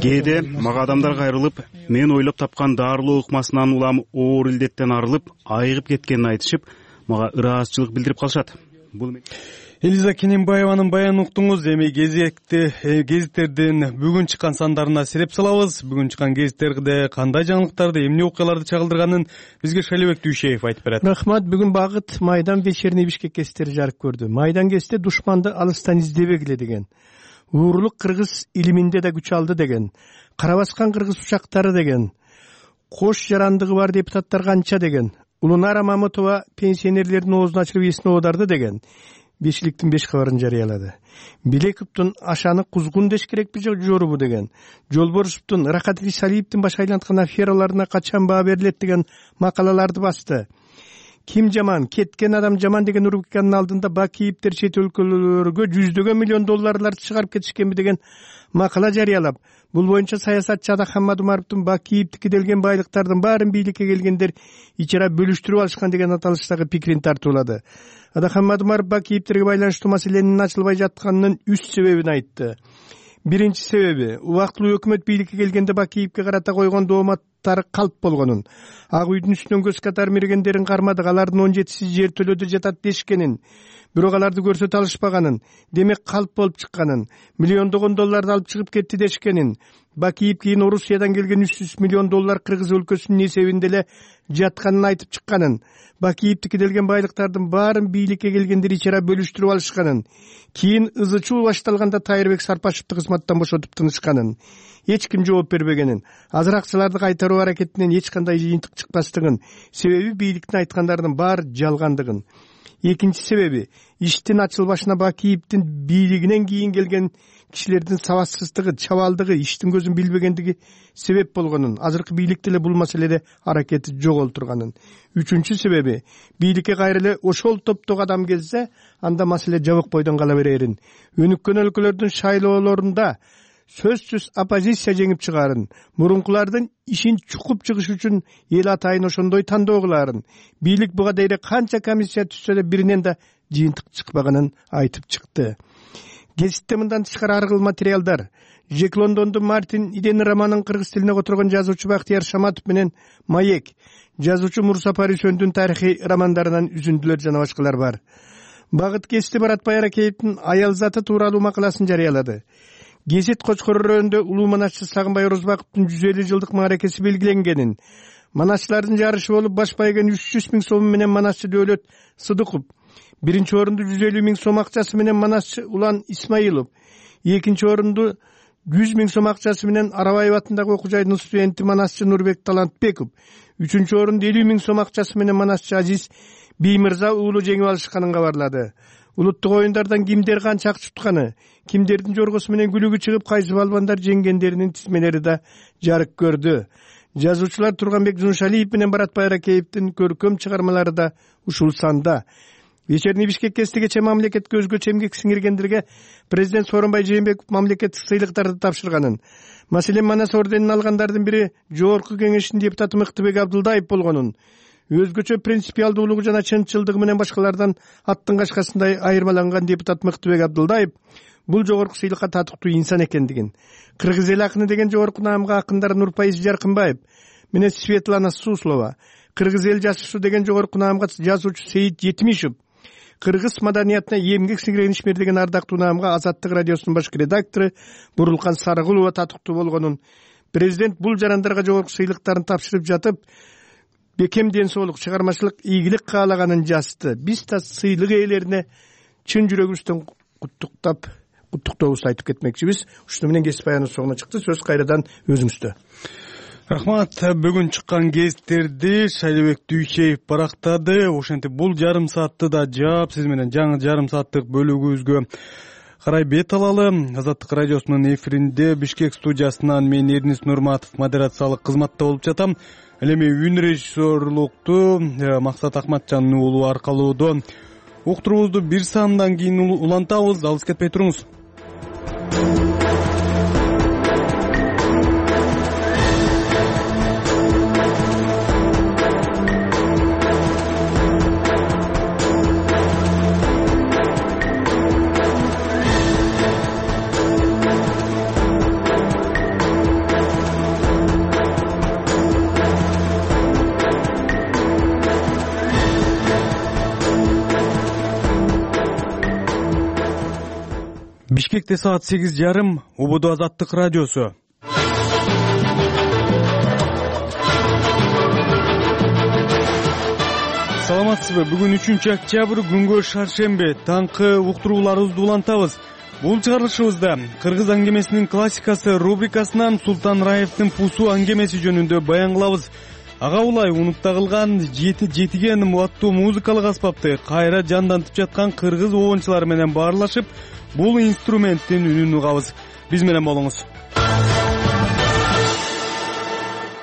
M: Кээде мага адамдар кайрылып, мен ойлоп тапкан дарылоо ыкмасынан улам оор илдеттен арылып, айыгып кеткенин айтышып, мага ыраазычылык билдирип калышат. Бул
A: Элиза Кененбаеванын баянын уктуңуз. Эми кезекте гезиттердин бүгүн чыккан сандарына сереп салабыз. Бүгүн чыккан гезиттерде кандай жаңылыктарды, эмне окуяларды чагылдырганын бизге Шалибек Дүйшеев айтып берет.
N: Рахмат. Бүгүн Багыт Майдан вечерний Бишкек гезиттери жарык көрдү. Майдан гезити душманды алыстан издебегиле деген, уурулук кыргыз илиминде да күч алды деген, кара баскан кыргыз учактары деген, кош жарандыгы бар депутаттар канча деген, Улунара Мамытова пенсионерлердин оозун ачырып эсин оодарды деген бешиликтин беш кабарын жарыялады. Билековдун ашаны кузгун деш керекпи же жорубу деген, Жолборшевдун Рахат Рисалиевдин баш айланткан афераларына качан баа берилет деген макалаларды басты. Ким жаман, кеткен адам жаман деген рубриканын алдында Бакиевдер чет өлкөлөргө жүздөгөн миллион долларларды чыгарып кетишкенби деген макала жарыялап, бул боюнча саясатчы Адахмат Умаровдун Бакиевдики делген байлыктардын баарын бийликке келгендер ичара бөлүштүрүп алышкан деген аталыштагы пикирин тартуулады. Адахмат Умаров Бакиевдерге байланыштуу маселенин ачылбай жатканынын үч себебин айтты. Биринчи себеби, убактылуу өкмөт бийликке келгенде Бакиевге карата койгон дооматтары калп болгонун, Ак үйдүн үстүнөн көз катар мергендерин кармадык, алардын он жетиси жер төлөдө жатат дешкенин, бирок аларды көрсөтө алышпаганын, демек калп болуп чыкканын, миллиондогон долларды алып чыгып кетти дешкенин, Бакиев кийин Орусиядан келген үч жүз миллион доллар Кыргыз өлкөсүнүн эсебинде эле жатканын айтып чыкканын, Бакиевдики делген байлыктардын баарын бийликке келгендер ичара бөлүштүрүп алышканын, кийин ызы чуу башталганда Тайырбек Сарпашевди кызматтан бошотуп тынышканын, эч ким жооп бербегенин, азыр акчаларды кайтаруу аракетинен эч кандай жыйынтык чыкпастыгын, себеби бийликтин айткандардын баары жалгандыгын. Экинчи себеби, иштин ачылбашына Бакиевдин бийлигинен кийин келген кишилердин сабатсыздыгы, чабалдыгы, иштин көзүн билбегендиги себеп болгонун, азыркы бийлик деле бул маселеде аракети жоголтурганын. Үчүнчү себеби, бийликке кайра эле ошол топтогу адам келсе, анда маселе жабык бойдон кала берерин. Өнүккөн өлкөлөрдүн шайлоолорунда сөзсүз оппозиция жеңип чыгарын, мурункулардын ишин чукуп чыгыш үчүн эл атайын ошондой тандоо кылаарын, бийлик буга дейре канча комиссия түзсө да биринен да жыйынтык чыкпаганын айтып чыкты. Гезитте мындан тышкары ар кыл материалдар. Жек Лондондун Мартин Иден романын кыргыз тилине которгон жазуучу Бактияр Шаматов менен Маек, жазуучу Мурса Парисөндүн тарыхый романдарынан үзүндүлөр жана башкалар бар. Багыт гезити Барат Байракеевдин аял заты тууралуу макаласын жарыялады. Гезит Кочкор өрөөнүндө улуу манасчы Сагынбай Орозбаковдун жүз элүү жылдык мааракеси белгиленгенин, манасчылардын жарышы болуп баш байган үч жүз миң сом менен манасчы Дөөлөт Сыдыков, биринчи орунду жүз элүү миң сом акчасы менен манасчы Улан Исмаилов, экинчи орунду жүз миң сом акчасы менен Арабаев атындагы окуу жайдын студенти манасчы Нурбек Талантбеков, үчүнчү орунду элүү миң сом акчасы менен манасчы Азиз Биймырза уулу жеңип алышканын кабарлады. Улуттук оюндардан кимдер канча акча тутканы, кимдердин жоргосу менен күлүгү чыгып, кайсы балбандар жеңгендеринин тизмелери да жарык көрдү. Жазуучулар Турганбек Жуншалиев менен Барат Байракеевдин көркөм чыгармалары да ушул санда. Вечерний Бишкек кече мамлекетке өзгөчө эмгек сиңиргендерге президент Сооронбай Жээнбеков мамлекеттик сыйлыктарды тапшырганын, маселен Манас орденин алгандардын бири Жогорку Кеңештин депутаты Мыктыбек Абдылдаев болгонун, өзгөчө принципиалдуулугу жана чынчылдыгы менен башкалардан аттын кашкасындай айырмаланган депутат Мыктыбек Абдылдаев бул жогорку сыйлыкка татыктуу инсан экендигин, кыргыз эл акыны деген жогорку наамга акындар Нурпайыз Жаркынбаев менен Светлана Суслова, кыргыз эл жазуучусу деген жогорку наамга жазуучу Сейит Жетимишев, кыргыз маданиятына эмгек сиңирген ишмер деген ардактуу наамга Азаттык радиосунун башкы редактору Бурулкан Сарыгулова татыктуу болгонун, президент бул жарандарга жогорку сыйлыктарын тапшырып жатып, бекем ден соолук, чыгармачылык ийгилик каалаганын жазды. Биз да сыйлык ээлерине чын жүрөгүбүздөн куттуктап, куттуктообузду айтып кетмекчибиз. Ушуну менен кесип баяныбыз соңуна чыкты. Сөз кайрадан өзүңүздө.
A: Рахмат. Бүгүн чыккан гезиттерди Шайлебек Дүйшеев барактады. Ошентип бул жарым саатты да жаап, сиз менен жаңы жарым сааттык бөлүгүбүзгө карай бет алалы. Азаттык радиосунун эфиринде Бишкек студиясынан мен Эрнис Нурматов модерациялык кызматта болуп жатам. Ал эми үн режиссерлукту Максат Акматжандын уулу аркалоодон уктуруубузду бир саамдан кийин улантабыз. Алыс кетпей туруңуз. Бишкекте саат сегиз жарым, Убуду Азаттык радиосу. Саламатсызбы? Бүгүн үчүнчү октябрь, күнгө шаршемби. Таңкы уктурууларыбызды улантабыз. Бул чыгарылышыбызда кыргыз аңгемесинин классикасы рубрикасынан Султан Раевдин Пусу аңгемеси жөнүндө баян кылабыз. Ага улай унукта кылган жетиген аттуу музыкалык аспапты кайра жандантып жаткан кыргыз обончулары менен баарлашып, бул инструменттин үнүн угабыз. Биз менен болуңуз.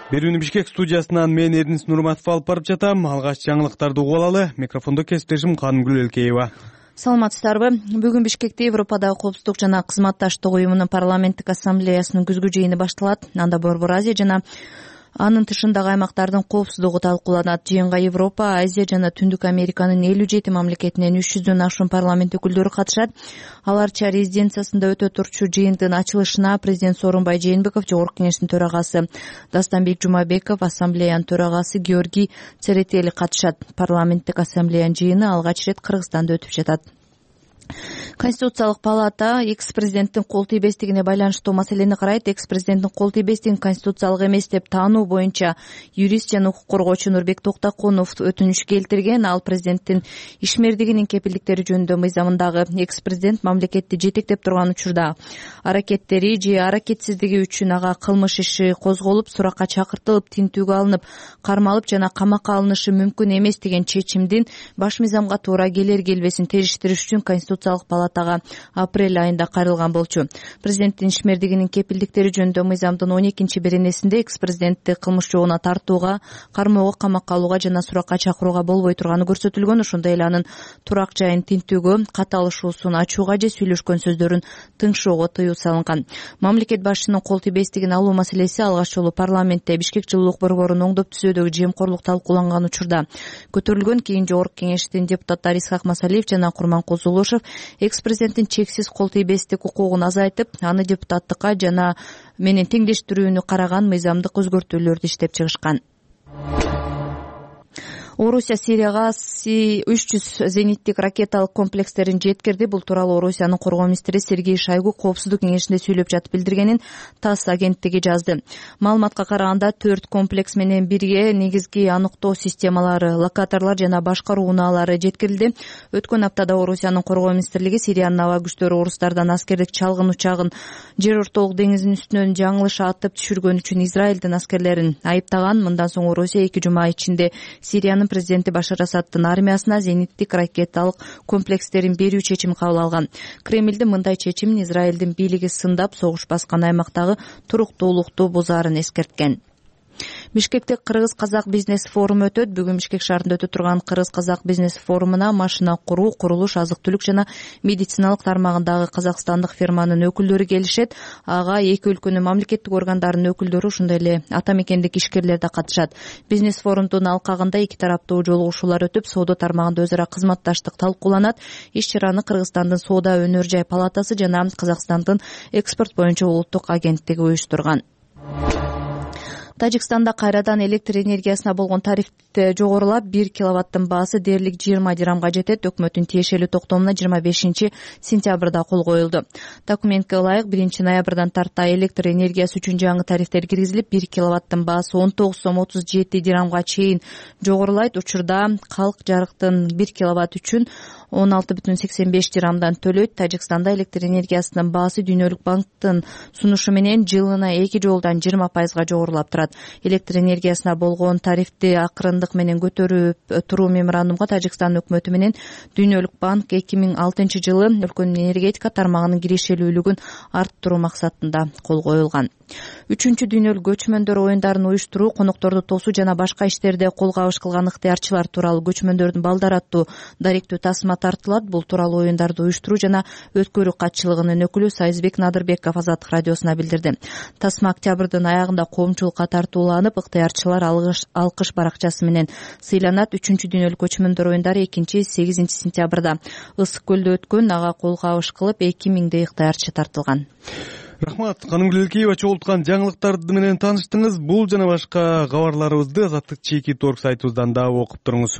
A: Берүүнү Бишкек студиясынан мен Эрнис Нурматов алып барып жатам. Алгач жаңылыктарды угуп алалы. Микрофондо кесиптешим Канымгүл Элкеева.
B: Саламатсыздарбы? Бүгүн Бишкекте Европадагы коопсуздук жана кызматташтык уюмунун парламенттик ассамблеясынын күзгү жыйыны башталат. Анда Борбор Азия жана анын тышындагы аймактардын коопсуздугу талкууланат. Жыйынга Европа, Азия жана Түндүк Американын элүү жети мамлекетинен үч жүздөн ашуун парламент өкүлдөрү катышат. Аларча резиденциясында өтө турчу жыйындын ачылышына президент Сооронбай Жээнбеков, Жогорку Кеңештин төрагасы Дастанбек Жумабеков, ассамблеянын төрагасы Георгий Церетели катышат. Парламенттик ассамблеянын жыйыны алгач ирет Кыргызстанда өтүп жатат. Конституциялык палата экс-президенттин кол тийбестигине байланыштуу маселени карайт. Экс-президенттин кол тийбестигин конституциялык эмес деп таануу боюнча юрист жана укук коргоочу Нурбек Токтокунов өтүнүч келтирген. Ал президенттин ишмердигинин кепилдиктери жөнүндө мыйзамындагы экс-президент мамлекетти жетектеп турган учурда аракеттери же аракетсиздиги үчүн ага кылмыш иши козголуп, суракка чакыртылып, тинтүүгө алынып, кармалып жана камакка алынышы мүмкүн эмес деген чечимдин баш мыйзамга туура келер келбесин териштириш үчүн Конституциялык палатага апрель айында кайрылган болчу. Президенттин ишмердигинин кепилдиктери жөнүндө мыйзамдын он экинчи беренесинде экс-президентти кылмыш жообуна тартууга, кармоого, камакка алууга жана суракка чакырууга болбой турганы көрсөтүлгөн. Ошондой эле анын турак жайын тинтүүгө, катталышуусун ачууга же сүйлөшкөн сөздөрүн тыңшоого тыюу салынган. Мамлекет башчынын кол тийбестигин алуу маселеси алгач жолу парламентте Бишкек жылуулук борборунун оңдоп түзөөдөгү жемкорлук талкууланган учурда көтөрүлгөн. Кийин Жогорку Кеңештин депутаттары Исхак Масалиев жана Курманкул Зулушев экс-президенттин чексиз кол тийбестик укугун азайтып, аны депутаттыкка жана менен теңдештирүүнү караган мыйзамдык өзгөртүүлөрдү иштеп чыгышкан. Орусия Сирияга үч жүз зениттик ракеталык комплекстерин жеткирди. Бул тууралуу Орусиянын коргоо министри Сергей Шойгу коопсуздук кеңешинде сүйлөп жатып билдиргенин ТАСС агенттиги жазды. Маалыматка караганда төрт комплекс менен бирге негизги аныктоо системалары, локаторлор жана башкаруу унаалары жеткирилди. Өткөн аптада Орусиянын коргоо министрлиги Сириянын аба күчтөрү орустардан аскердик чалгын учагын жер ортолук деңизинин үстүнөн жаңылыш атып түшүргөн үчүн Израилдин аскерлерин айыптаган. Мындан соң Орусия эки жума ичинде Сириянын президенти Башар Асаддын армиясына зениттик ракеталык комплекстерин берүү чечимин кабыл алган. Кремлдин мындай чечимин Израилдин бийлиги сындап, согуш баскан аймактагы туруктуулукту бузаарын эскерткен. Бишкекте кыргыз-казак бизнес форуму өтөт. Бүгүн Бишкек шаарында өтө турган кыргыз-казак бизнес форумуна машина куруу, курулуш, азык-түлүк жана медициналык тармагындагы казакстандык фирманын өкүлдөрү келишет. Ага эки өлкөнүн мамлекеттик органдарынын өкүлдөрү, ошондой эле ата мекендик ишкерлер да катышат. Бизнес форумдун алкагында эки тараптуу жолугушуулар өтүп, соода тармагында өзара кызматташтык талкууланат. Иш-чараны Кыргызстандын соода өнөр жай палатасы жана Казакстандын экспорт боюнча улуттук агенттиги уюштурган. Тажикстанда кайрадан электр энергиясына болгон тариф жогорулап, бир киловаттын баасы дээрлик жыйырма дирамга жетет. Өкмөттүн тиешелүү токтомуна жыйырма бешинчи сентябрда кол коюлду. Документке ылайык биринчи ноябрдан тарта электр энергиясы үчүн жаңы тарифтер киргизилип, бир киловаттын баасы он тогуз сом отуз жети дирамга чейин жогорулайт. Учурда калк жарыктын бир киловатт үчүн он алты бүтүн сексен беш дирамдан төлөйт. Тажикстанда электр энергиясынын баасы Дүйнөлүк банктын сунушу менен жылына эки жолдан жыйырма пайызга жогорулап турат. электр энергиясына болгон тарифти акырындык менен көтөрүп туруу меморандумга Тажикстан өкмөтү менен Дүйнөлүк банк эки миң алтынчы жылы өлкөнүн энергетика тармагынын кирешелүүлүгүн арттыруу максатында кол коюлган. Үчүнчү дүйнөлүк көчмөндөр оюндарын уюштуруу, конокторду тосуу жана башка иштерде кол кабыш кылган ыктыярчылар тууралуу көчмөндөрдүн балдары аттуу даректүү тасма тартылат. Бул тууралуу оюндарды уюштуруу жана өткөрүү катчылыгынын өкүлү Сайызбек Надырбеков Азаттык радиосуна билдирди. Тасма октябрдын аягында коомчулукка тартууланып, ыктыярчылар алкыш баракчасы менен сыйланат. Үчүнчү дүйнөлүк көчмөндөр оюндары экинчи сегизинчи сентябрда Ысык көлдө өткөн. Ага кол кабыш кылып эки миңдей ыктыярчы тартылган.
A: Рахмат. Канымгүлөкеева чогулткан жаңылыктар менен тааныштыңыз. Бул жана башка кабарларыбызды Азаттык чеки торг сайтыбыздан да окуп туруңуз.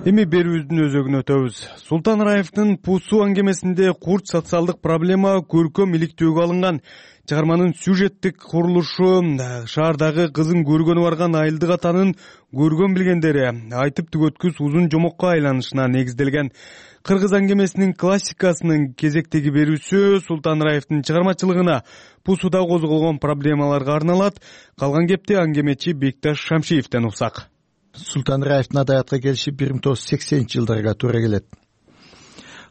A: Эми берүүбүздүн өзөгүнө өтөбүз. Султан Раевдин Пусу аңгемесинде курч социалдык проблема көркөм иликтөөгө алынган. Чыгарманын сюжеттик курулушу шаардагы кызын көргөнү барган айылдык атанын көргөн билгендери айтып түгөткүс узун жомокко айланышына негизделген. Кыргыз аңгемесинин классикасынын кезектеги берүүсү Султан Раевдин чыгармачылыгына, Пусуда козголгон проблемаларга арналат. Калган кепти аңгемечи Бекташ Шамшиевден уксак.
O: Султан Раевдин адабиятка келиши бир миң тогуз жүз сексенинчи жылдарга туура келет.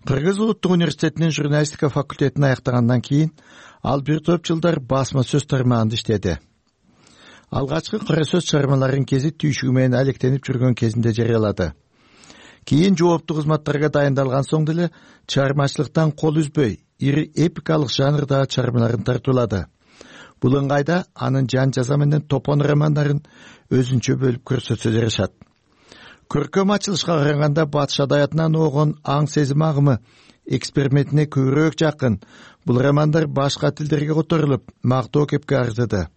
O: Кыргыз улуттук университетинин журналистика факультетин аяктагандан кийин ал бир топ жылдар басма сөз тармагында иштеди. Алгачкы кара сөз чыгармаларын кези түйшүгү менен алектенип жүргөн кезинде жарыялады. Кийин жооптуу кызматтарга дайындалган соң деле чыгармачылыктан кол үзбөй, ири эпикалык жанрдагы чыгармаларын тартуулады. Бул ыңгайда анын жан жаза менен топон романдарын өзүнчө бөлүп көрсөтсө жарашат. Көркөм ачылышка караганда батыш адабиятынан огон аң сезим агымы экспериментине көбүрөөк жакын. Бул романдар башка тилдерге которулуп, мактоо кепке арзыды.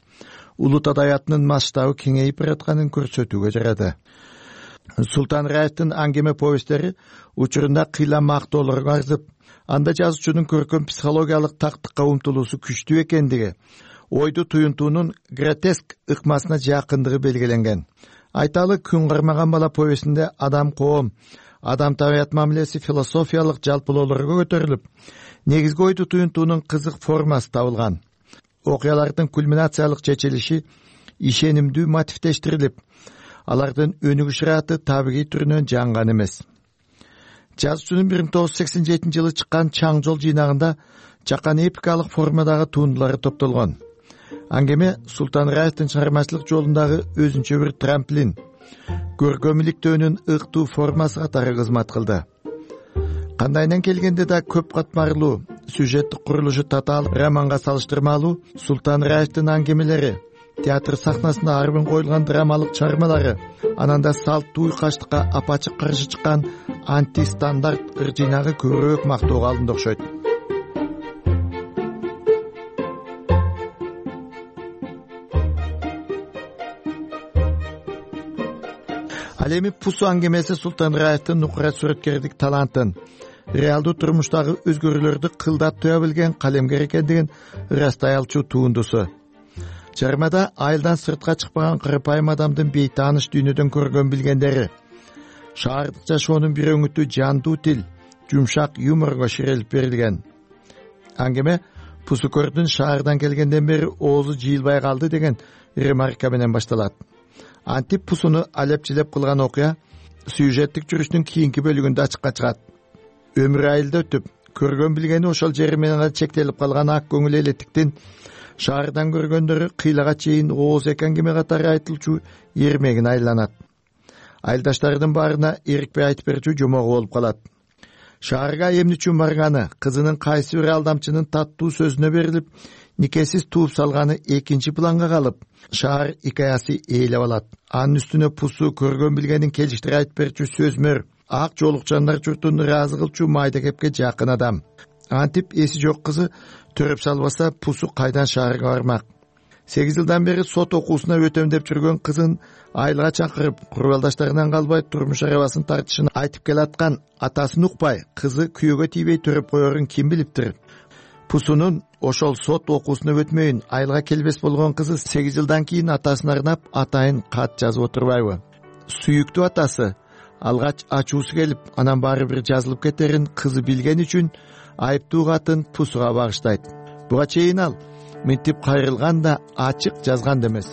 O: Улут адабиятынын масштабы кеңейип баратканын көрсөтүүгө жарады. Султан Раевдин аңгеме повесттери учурунда кыйла мактоолорго арзып, анда жазуучунун көркөм психологиялык тактыкка умтулуусу күчтүү экендиги, ойду туюнтуунун гротеск ыкмасына жакындыгы белгиленген. Айталы күн кармаган бала повесинде адам коом, адам табият мамилеси философиялык жалпылоолорго көтөрүлүп, негизги ойду туюнтуунун кызык формасы табылган. Окуялардын кульминациялык чечилиши ишенимдүү мотивдештирилип, алардын өнүгүш ыраты табигый түрүнөн жаңган эмес. Жазуучунун бир миң тогуз жүз сексен жетинчи жылы чыккан Чаң жол жыйнагында жакан эпикалык формадагы туындулары топтолгон. Аңгеме Султан Раевдин чыгармачылык жолундагы өзүнчө бир трамплин, көркөм иликтөөнүн ыктуу формасы катары кызмат кылды. Кандайынан келгенде да көп катмарлуу, сюжеттик курулушу татаал романга салыштырмалуу Султан Раевдин аңгемелери, театр сахнасында арбын коюлган драмалык чыгармалары, ананда салттуу уйкаштыкка апачык каршы чыккан антистандарт ыр жыйнагы көбүрөөк мактоого алынды окшойт. Ал эми Пусу аңгемеси Султан Раевдин нукура сүрөткердик талантын, реалдуу турмуштагы өзгөрүүлөрдү кылдап туя билген калемгер экендигин ырастай алчу туындусу. Чыгармада айылдан сыртка чыкпаган кырпайым адамдын бейтааныш дүйнөдөн көргөн билгендери, шаардык жашоонун бир өңүтү жандуу тил, жумшак юморго ширелип берилген. Аңгеме Пусу көрдүн шаардан келгенден бери оозу жыйылбай калды деген ремарка менен башталат. Антип Пусуну алепчилеп кылган окуя сюжеттик жүрүштүн кийинки бөлүгүндө ачыкка чыгат. Өмүрү айылда өтүп, көргөн билгени ошол жери менен чектелип калган ак көңүл элеттиктин шаардан көргөндөрү кыйлага чейин ооз эки аңгеме катары айтылчу эрмегин айланат. Айылдаштарынын баарына эрикпей айтып берчү жомогу болуп калат. Шаарга эмне үчүн барганы, кызынын кайсы бир алдамчынын таттуу сөзүнө берилип, никесиз тууп салганы экинчи планга калып, шаар икаясы ээлеп алат. Анын үстүнө Пусу көргөн билгенин келиштире айтып берчү сөзмөр, ак жоолукчандар журтун ыраазы кылчу майда кепке жакын адам. Антип эси жок кызы төрөп салбаса, Пусу кайдан шаарга бармак? сегиз жылдан бери сот окуусуна өтөм деп жүргөн кызын айылга чакырып, курбалдаштарынан калбай турмуш арабасын тартышын айтып келаткан атасын укпай, кызы күйөөгө тийбей төрөп коерун ким билиптир? Пусунун ошол сот окуусуна өтмөйүн айылга келбес болгон кызы сегиз жылдан кийин атасын арнап атайын кат жазып отурбайбы? Сүйүктүү атасы алгач ачуусу келип, анан баары бир жазылып кетерин кызы билген үчүн айыптуу катын Пусуга багыштайт. Буга чейин ал мынтип кайрылган да ачык жазган да эмес.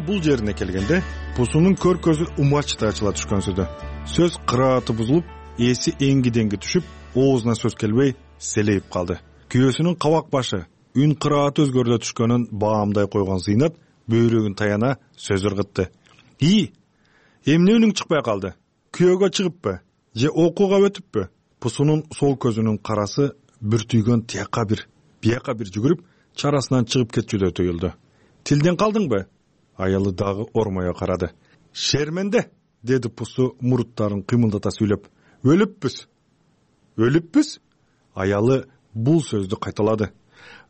P: Бул жерине келгенде Пусунун көркөзү умачтай ачыла түшкөнсүдө. Сөз кырааты бузулуп, эси эңги-деңги түшүп, оозуна сөз келбей селейип калды. Күйөөсүнүн кабак башы, үн кырааты өзгөрүлө түшкөнүн баамдай койгон Зыйнат бөйрөгүн таяна сөз ыргытты. И, эмне үнүң чыкпай калды? Күйөөгө чыгыппы? Же окууга өтүппү? Пусунун сол көзүнүн карасы бүртүйгөн тияка бир, бияка бир жүгүрүп, чарасынан чыгып кетчүдөй туюлду. Тилден калдыңбы? Аялы дагы ормое карады. Шерменде, деди Пусу муруттарын кыймылдата сүйлөп. Өлүппүз. Өлүппүз? Аялы бул сөздү кайталады.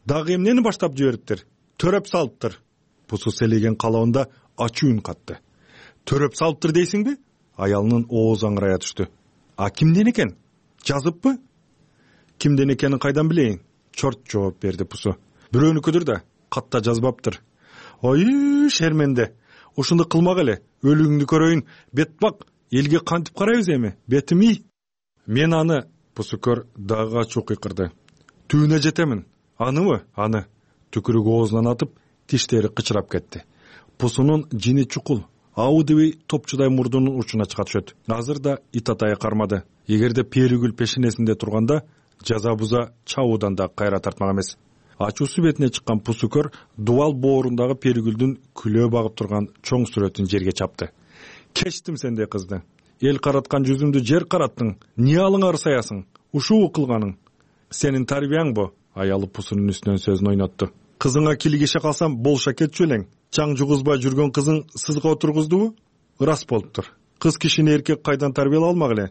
P: Дагы эмнени баштап жибериптир? Төрөп салыптыр. Пусу селеген калабында ачуу үн катты. Төрөп салыптыр дейсиңби? Аялынын оозу аңырая түштү. А кимден экен? Жазыппы? Кимден экенин кайдан билейин? Чорт жооп берди Пусу. Бирөөнүкүдүр да, катта жазбаптыр. Ой, шерменде. Ушунду кылмак эле. Өлүгүңдү көрөйүн. Бетбак, элге кантип карайбыз эми? Бетими? Мен аны, Пусукөр дагы ачуу кыйкырды. Түбүнө жетемин. Аныбы? Аны. Түкүрүк оозунан атып, тиштери кычырап кетти. Пусунун жини чукул, абы дебей топчудай мурдунун учуна чыга түшөт. Азыр да ит атайы кармады. Эгерде Перигүл пешенесинде турганда, жаза буза чабуудан да кайра тартмак эмес. Ачуусу бетине чыккан Пусукөр дубал боорундагы Перигүлдүн күлөө багып турган чоң сүрөтүн жерге чапты. Кечтим сендей кызды. Эл караткан жүзүмдү жер караттың. Эмне алыңа ырсаясың? Ушуу кылганың. Сенин тарбияң бу? Аялы Пусунун үстүнөн сөзүн ойнотту. Кызыңа килигише калсам болша кетчү элең. Чаң жугузбай жүргөн кызың сызга отургуздубу? Ырас болуптур. Кыз кишини эркек кайдан тарбиялай алмак эле?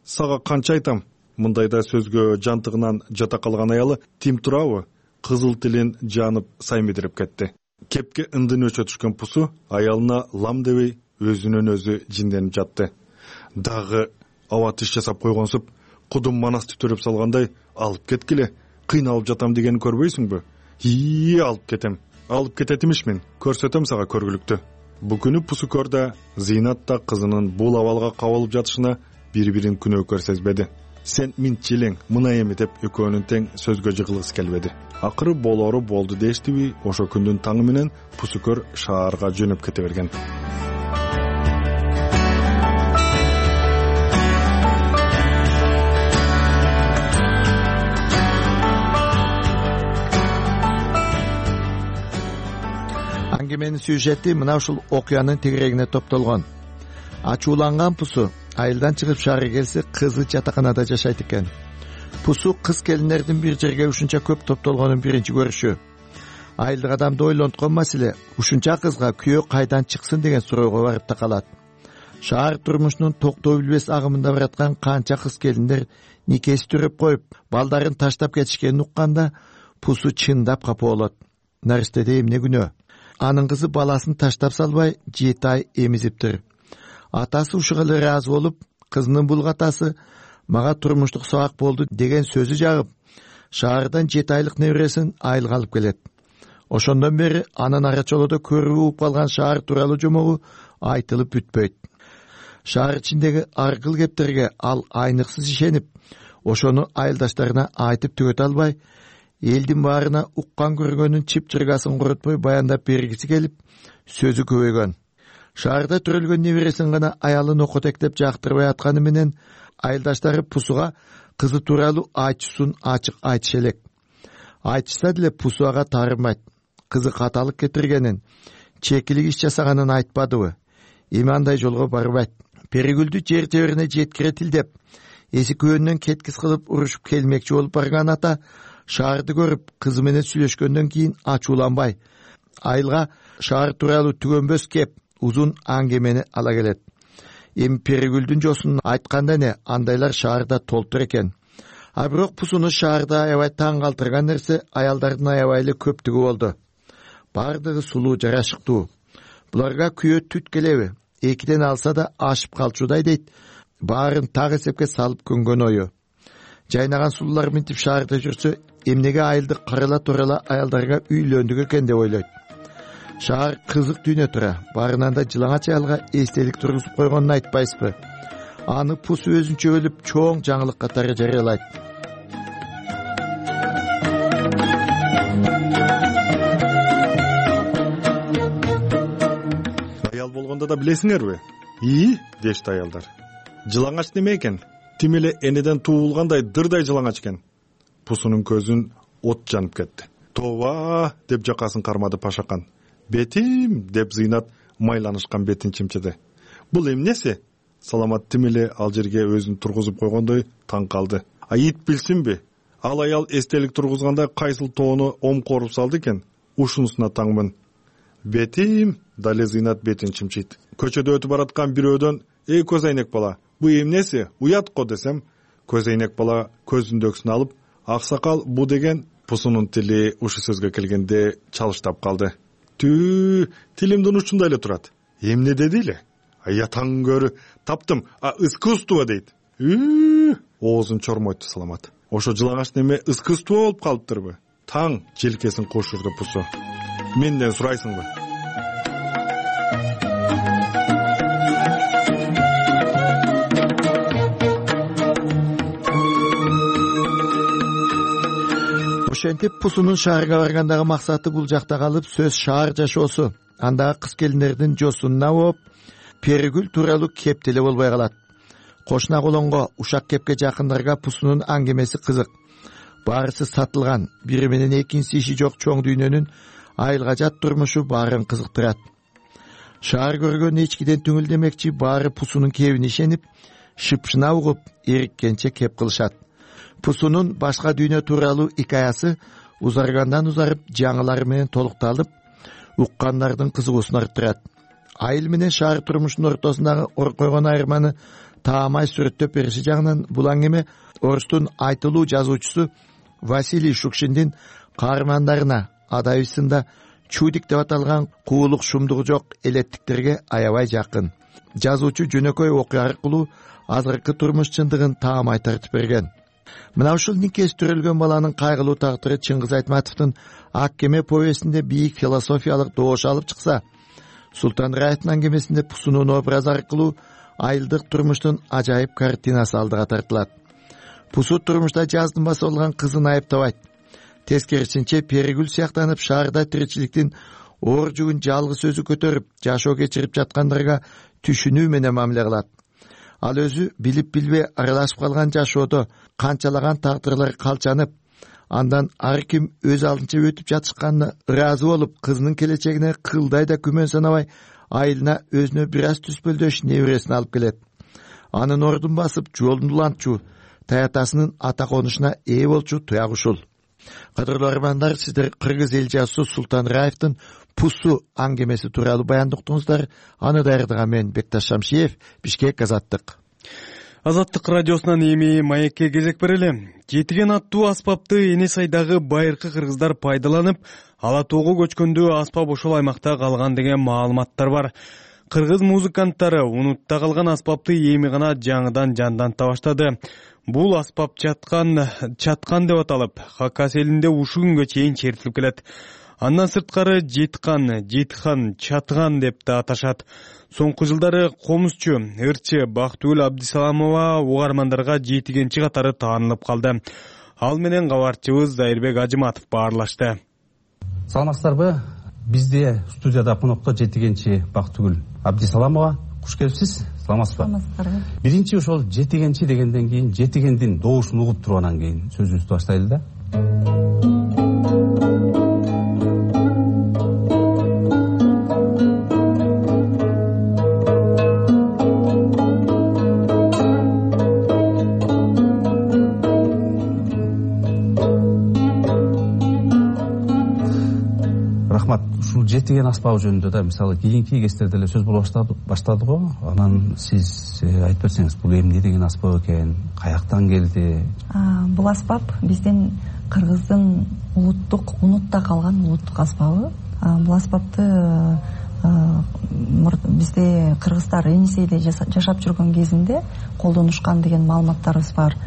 P: Сага канча айтам? Мындайда сөзгө жантыгынан жата калган аялы тим турабы? Кызыл тилин жанып саймидирип кетти. Кепке ындын өчө түшкөн Пусу аялына лам дебей өзүнөн өзү жинденип жатты. Дагы аба тиш жасап койгонсуп, кудум манасты төрөп салгандай алып кеткиле, кыйналып жатам дегенин көрбөйсүңбү? И, алып кетем. Алып кетет имишмин. Көрсөтөм сага көргүлүктү. Бу күнү Пусукөр да, Зыйнат да кызынын бул абалга кабылып жатышына бири-бирин күнөөкөр сезбеди. Сен минтчилең, мына эми деп экөөнүн тең сөзгө жыгылгысы келбеди. Акыры болору болду дештиби, ошо күндүн таңы менен Пусукөр шаарга жөнөп кете берген.
O: Аңгеменин сюжети мына ушул окуянын тегерегине топтолгон. Ачууланган Пусу айылдан чыгып шаарга келсе, кызы жатаканада жашайт экен. Пусу кыз келиндердин бир жерге ушунча көп топтолгонун биринчи көрүшү. Айылдык адамды ойлонткон маселе ушунча кызга күйөө кайдан чыксын деген суроого барып такалат. Шаар турмушунун токтоо билбес агымында бараткан канча кыз келиндер никеси төрөп коюп, балдарын таштап кетишкенин укканда Пусу чындап капа болот. Наристеде эмне күнөө? Анын кызы баласын таштап салбай жети ай эмизиптир. Атасы ушуга эле ыраазы болуп, кызынын бул катасы мага турмуштук сабак болду деген сөзү жагып, шаардан жети айлык небересин айылга алып келет. Ошондон бери анын арачолодо көрүп угуп калган шаар тууралуу жомогу айтылып бүтпөйт. Шаар ичиндеги аргыл кептерге ал айныксыз ишенип, ошону айылдаштарына айтып түгөтө албай, элдин баарына уккан көргөнүн чып-чыргасын коротпой баяндап бергиси келип, сөзү көбөйгөн. Шаарда төрөлгөн небересин гана аялын окотектеп жактырбай атканы менен айылдаштары Пусуга кызы тууралуу айтчусун ачык айтыша элек. Айтышса деле Пусу ага таарынбайт. Кызы каталык кетиргенин, чекилик иш жасаганын айтпадыбы? Эми андай жолго барбайт. Перигүлдү жер теберине жеткире тилдеп, эси күйөөнөн кеткис кылып урушуп келмекчи болуп барган ата шаарды көрүп, кызы менен сүйлөшкөндөн кийин ачууланбай, айылга шаар тууралуу түгөнбөс кеп узун аңгемени ала келет. Эми Перигүлдүн жосун айтканда не, андайлар шаарда толтур экен. А бирок Пусуну шаарда аябай таң калтырган нерсе аялдардын аябай эле көптүгү болду. Бардыгы сулуу, жарашыктуу. Буларга күйөө түт келеби? Экиден алса да ашып калчудай дейт. Баарын так эсепке салып көнгөн ою. Жайнаган сулуулар минтип шаарда жүрсө, эмнеге айылды карала турала аялдарга үйлөндүк экен деп ойлойт. Шаар кызык дүйнө тура, барынан да жылаңач аялга эстелик тургузуп койгонун айтпайсызбы? Аны пусу өзүнчө өлүп чоң жаңылык катары жарыялайт.
P: Аял болгондо да билесиңерби? И, дешти аялдар. Жылаңач неме экен? Тим эле энеден туулгандай дырдай жылаңач экен. Пусунун көзүн от жанып кетти. Тоба деп жакасын кармады Пашакан. Бетим деп Зыйнат майланышкан бетин чимчиди. Бул эмнеси? Саламат тим эле ал жерге өзүн тургузуп койгондой таң калды. А ит билсинби? Ал аял эстелик тургузганда кайсыл тоону омкоруп салды экен? Ушунусуна таңмын. Бетим, дале Зыйнат бетин чимчийт. Көчөдө өтүп бараткан бирөөдөн: "Эй көз айнек бала, бу эмнеси? Уят го" десем, көз айнек бала көзүндөгүсүн алып: "Аксакал, бу" деген Пусунун тили ушу сөзгө келгенде чалыштап калды. Түү, тилимдин учунда эле турат. Эмне деди эле? Аятаң көрү, таптым. А искусство дейт. Үүү, оозун чормойту Саламат. Ошо жылаңач неме искусство болуп калыптырбы? Таң желкесин кошурду Пусу. Менден сурайсыңбы?
O: Ошентип Пусунун шаарга баргандагы максаты бул жакта калып сөз шаар жашоосу, андагы кыз келиндердин жосунуна болуп, Перигүл тууралуу кеп деле болбой калат. Кошуна колонго, ушак кепке жакындарга Пусунун аңгемеси кызык. Баарысы сатылган, бири менен экинчиси иши жок чоң дүйнөнүн айылга жат турмушу баарын кызыктырат. Шаар көргөн эчкиден түңүлдемекчи баары Пусунун кебине ишенип, шыпшына угуп, эриккенче кеп кылышат. Пусунун башка дүйнө тууралуу икаясы узаргандан узарып жаңылары менен толукталып, уккандардын кызыгуусун арттырат. Айыл менен шаар турмушунун ортосундагы ор койгон айырманы таамай сүрөттөп бериши жагынан бул аңгеме орустун айтылуу жазуучусу Василий Шукшиндин каармандарына адайысында чудик деп аталган куулук шумдугу жок элеттиктерге аябай жакын. Жазуучу жөнөкөй окуя аркылуу азыркы турмуш чындыгын таамай тартып берген. Мына ушул никес төрөлгөн баланын кайгылуу тагдыры Чыңгыз Айтматовдун Ак кеме повестинде бийик философиялык доош алып чыкса, Султан Раевдин аңгемесинде Пусунун образы аркылуу айылдык турмуштун ажайып картинасы алдыга тартылат. Пусу турмушта жаздымбасы болгон кызын айыптабайт. Тескерисинче Перигүл сыяктанып шаарда тиричиликтин оор жүгүн жалгыз өзү көтөрүп, жашоо кечирип жаткандарга түшүнүү менен мамиле кылат. Ал өзү билип билбей аралашып калган жашоодо канчалаган тагдырлар калчанып, андан ар ким өз алдынча өтүп жатышканына ыраазы болуп, кызынын келечегине кылдай да күмөн санабай, айылына өзүнө бир аз түспөлдөш небересин алып келет. Анын ордун басып, жолун улантчу, таятасынын ата конушуна ээ болчу туяк ушул. Кадырлуу армандар, сиздер кыргыз эл жазуусу Султан Раевдин Пусу аңгемеси тууралуу баяндыктыңыздар. Аны даярдаган мен Бекташ Шамшиев, Бишкек, Азаттык.
A: Азаттык радиосунан эми маекке кезек берели. Жетиген аттуу аспапты эне сайдагы байыркы кыргыздар пайдаланып, Ала тоого көчкөндө аспап ошол аймакта калган деген маалыматтар бар. Кыргыз музыканттары унутта калган аспапты эми гана жаңыдан жанданта баштады. Бул аспап чаткан, чаткан деп аталып, Хакас элинде ушу күнгө чейин чертилип келет. Андан сырткары жеткан, жетхан, чатган деп да аташат. Соңку жылдары комузчу, ырчы Бактыгүл Абдисаламова угармандарга жетигенчи катары таанылып калды. Ал менен кабарчыбыз Зайырбек Ажыматов баарлашты.
Q: Саламатсыздарбы? Бизде студияда конокто жетигенчи Бактыгүл Абдисаламова. Куш келипсиз. Саламатсызбы? Саламатсыздарбы. Биринчи ошол жетигенчи дегенден кийин, жетигендин доошун угуп тургандан кийин сөзүбүздү баштайлы да. Жетиген аспабы жөнүндө да мисалы кийинки кестерде эле сөз боло баштады го. Анан сиз айтып берсеңиз, бул эмне деген аспап экен, каяктан келди?
R: Бул аспап биздин кыргыздын улуттук, унутта калган улуттук аспабы. Бул аспапты бизде кыргыздар Енисейде жашап жүргөн кезинде колдонушкан деген маалыматтарыбыз бар.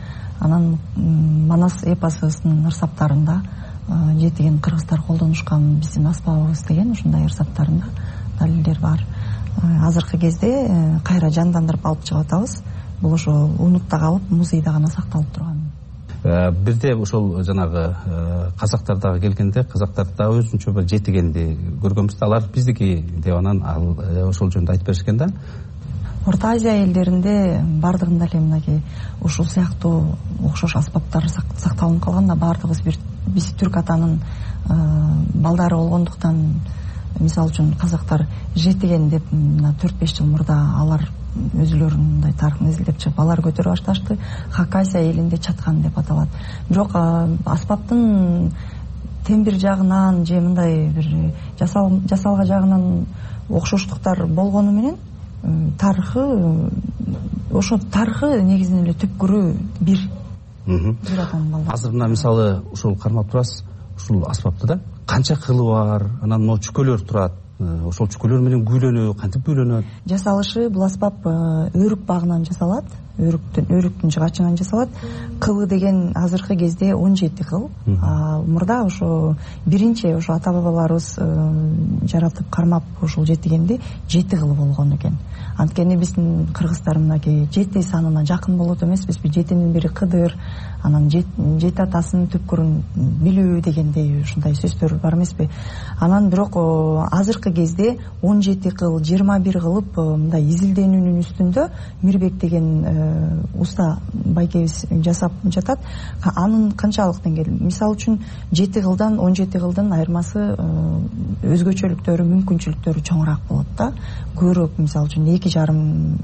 R: анан Манас эпосунун ырсаптарында жетиген кыргыздар колдонушкан биздин аспабыбыз деген ушундай ырсаптарында далилдер бар. Азыркы кезде кайра жандандырып алып чыгып атабыз. Бул ошо унутта калып, музейде гана сакталып турган.
Q: Бирде ошол жанагы казактардагы келгенде, казактар да өзүнчө бир жетигенди көргөнбүз да, алар биздики деп анан ошол жөнүндө айтып беришкен да.
R: Орто Азия элдеринде бардыгында эле мынакей ушул сыяктуу окшош аспаптар сакталынып калган да, бардыгыбыз бир биз түрк атанын балдары болгондуктан, мисалы үчүн казактар жетиген деп мына төрт беш жыл мурда алар өзүлөрүнүн мындай тарыхын изилдеп чыгып алар көтөрүп башташты. Хакасия элинде чаткан деп аталат. Бирок аспаптын тембир жагынан же мындай бир жасалга жагынан окшоштуктар болгону менен тарыхы ошо тарыхы негизинен эле түпкүрү бир.
Q: Азыр мына мисалы ушул кармап турасыз, ушул аспапты да канча кылы бар, анан могу чүкөлөр турат. Ошол чүкөлөр менен күүлөнүү кантип күүлөнөт?
R: Жасалышы бул аспап өрүк багынан жасалат. Өрүктүн өрүктүн жыгачынан жасалат. Кылы деген азыркы кезде он жети кыл. Мурда ошо биринчи ошо ата бабаларыбыз жаратып кармап ошол жетигенди жети кылы болгон экен. Анткени биздин кыргыздар мынакей жети санына жакын болот эмеспизби? Жетинин бири Кыдыр, анан жети атасынын түпкүрүн билүү дегендей ушундай сөздөр бар эмеспи? Анан бирок азыркы кезде он жети кыл, жыйырма бир кылып мындай изилденүүнүн үстүндө Мирбек деген уста байкебиз жасап жатат. Анын канчалык деңгээл? Мисалы үчүн жети кылдан он жети кылдын айырмасы өзгөчөлүктөрү, мүмкүнчүлүктөрү чоңураак болот да. Көбүрөөк мисалы үчүн эки жарым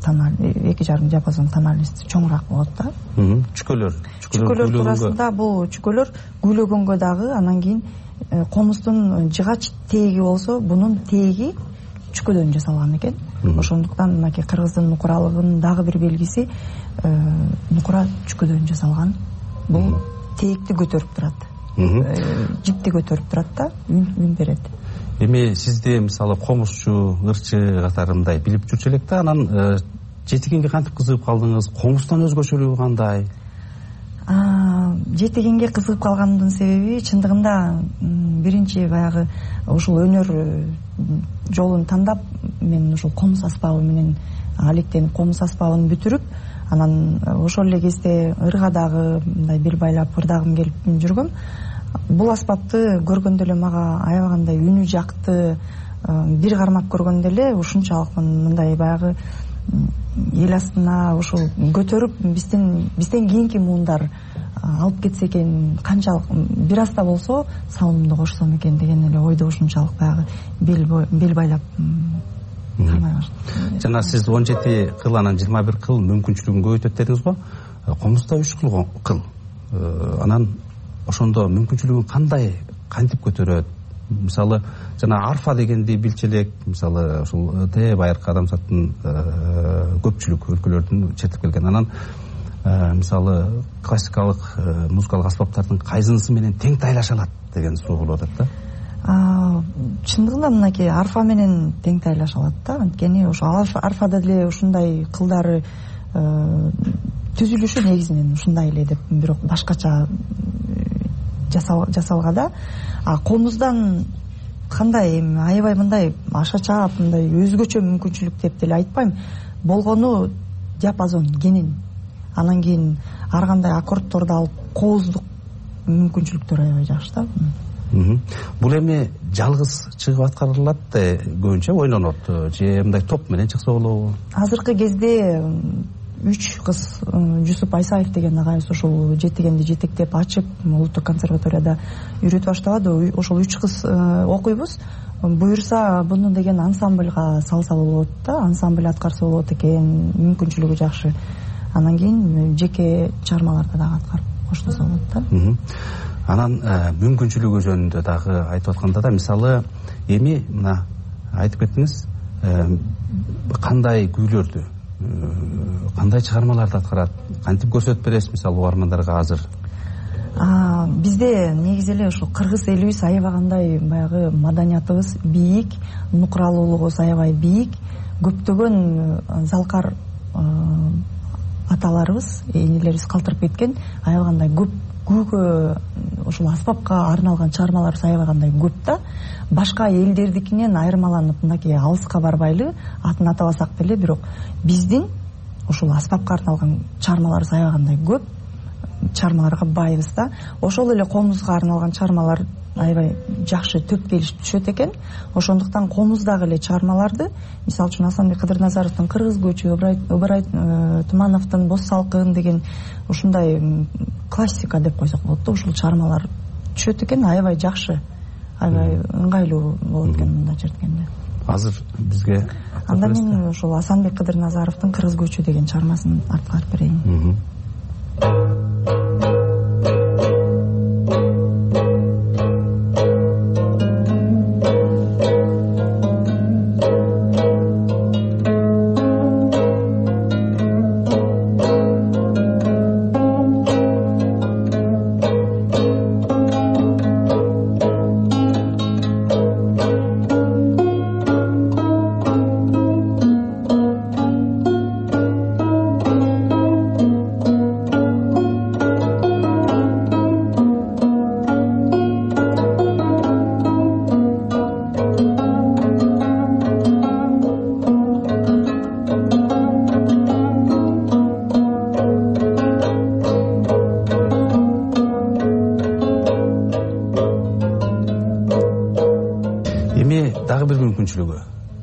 R: тонналь, эки жарым диапазон тональность чоңураак болот да.
Q: Чүкөлөр,
R: чүкөлөр туурасында бул чүкөлөр күйлөгөнгө дагы, анан кийин комустун жыгач тээги болсо, бунун тээги чүкөдөн жасалган экен. Ошондуктан мынакей кыргыздын нукуралыгынын дагы бир белгиси нукура чүкөдөн жасалган. Бул тээкти көтөрүп турат. Жипти көтөрүп турат да, үн берет.
Q: Эми сизди мисалы комузчу, ырчы катарындай билип жүрчү элек да, анан жетигенге кантип кызыгып калдыңыз? Комуздан өзгөчөлүгү кандай?
R: Жетигенге кызыгып калгандын себеби чындыгында биринчи баягы ушул өнөр жолун тандап, мен ушул комуз аспабы менен алектенип, комуз аспабын бүтүрүп, анан ошол эле кезде ырга дагы мындай бел байлап ырдагым келип жүргөм. Бул аспапты көргөндө эле мага аябагандай үнү жакты. Бир кармап көргөндө эле ушунчалык мындай баягы эл астына ушул көтөрүп биздин бизден кийинки муундар алып кетсе экен, канчалык бир аз да болсо салымымды кошсом экен деген эле ойдо ушунчалык баягы бел байлап кармай баштадым.
Q: Жана сиз он жети кыл, анан жыйырма бир кыл мүмкүнчүлүгүн көбөйтөт дедиңиз го. Комузда үч кыл. Анан ошондо мүмкүнчүлүгүн кандай, кантип көтөрөт? Мисалы жана арфа дегенди билчү элек, мисалы ушул тэ байыркы адамзаттын көпчүлүк өлкөлөрдүн чертип келген. Анан мисалы классикалык музыкалык аспаптардын кайсынысы менен тең тайлаша алат деген суроо болуп атат да.
R: Чындыгында мынакей арфа менен тең тайлаша алат да. Анткени ошо арфада деле ушундай кылдары түзүлүшү негизинен ушундай эле деп, бирок башкача жасалга да. А комуздан кандай, эми аябай мындай аша чаап мындай өзгөчө мүмкүнчүлүк деп деле айтпайм. Болгону диапазон кенен. Анан кийин ар кандай аккордторду алып кооздук мүмкүнчүлүктөр аябай жакшы да.
Q: Бул эми жалгыз чыгып аткарылат көбүнчө, ойнонот же мындай топ менен чыкса болобу?
R: Азыркы кезде үч кыз, Жусуп Айсаев деген агайыбыз ошол жетигенди жетектеп ачып улуттук консерваторияда үйрөтүп баштабады. Ошол үч кыз окуйбуз. Буюрса буну деген ансамбльга салса болот да, ансамбль аткарса болот экен, мүмкүнчүлүгү жакшы. Анан кийин жеке чыгармаларда дагы аткарып коштосо болот да.
Q: Анан мүмкүнчүлүгү жөнүндө дагы айтып атканда да, мисалы эми мына айтып кеттиңиз, кандай күүлөрдү, кандай чыгармаларды аткарат, кантип көрсөтүп бересиз мисалы угармандарга азыр?
R: Бизде негизи эле ушул кыргыз элибиз аябагандай баягы маданиятыбыз бийик, нукуралуулугубуз аябай бийик. Көптөгөн залкар аталарыбыз, энелерибиз калтырып кеткен аябагандай көп, күүгө ушул аспапка арналган чыгармаларыбыз аябагандай көп да. Башка элдердикинен айырмаланып мынакей алыска барбайлы, атын атабасак деле, бирок биздин ушул аспапка арналган чыгармаларыбыз аябагандай көп, чыгармаларга байбыз да. Ошол эле комузга арналган чыгармалар аябай жакшы төп келишип түшөт экен. Ошондуктан комуздагы эле чыгармаларды, мисалы үчүн Асанбек Кыдырназаровдун Кыргыз көчү, Ыбырай Тумановдун Боз салкын деген ушундай классика деп койсок болот да, ушул чыгармалар түшөт экен, аябай жакшы, аябай ыңгайлуу болот экен мында чирткенде.
Q: Азыр бизге
R: анда мен ушул Асанбек Кыдырназаровдун Кыргыз көчү деген чыгармасын арткарып берейин.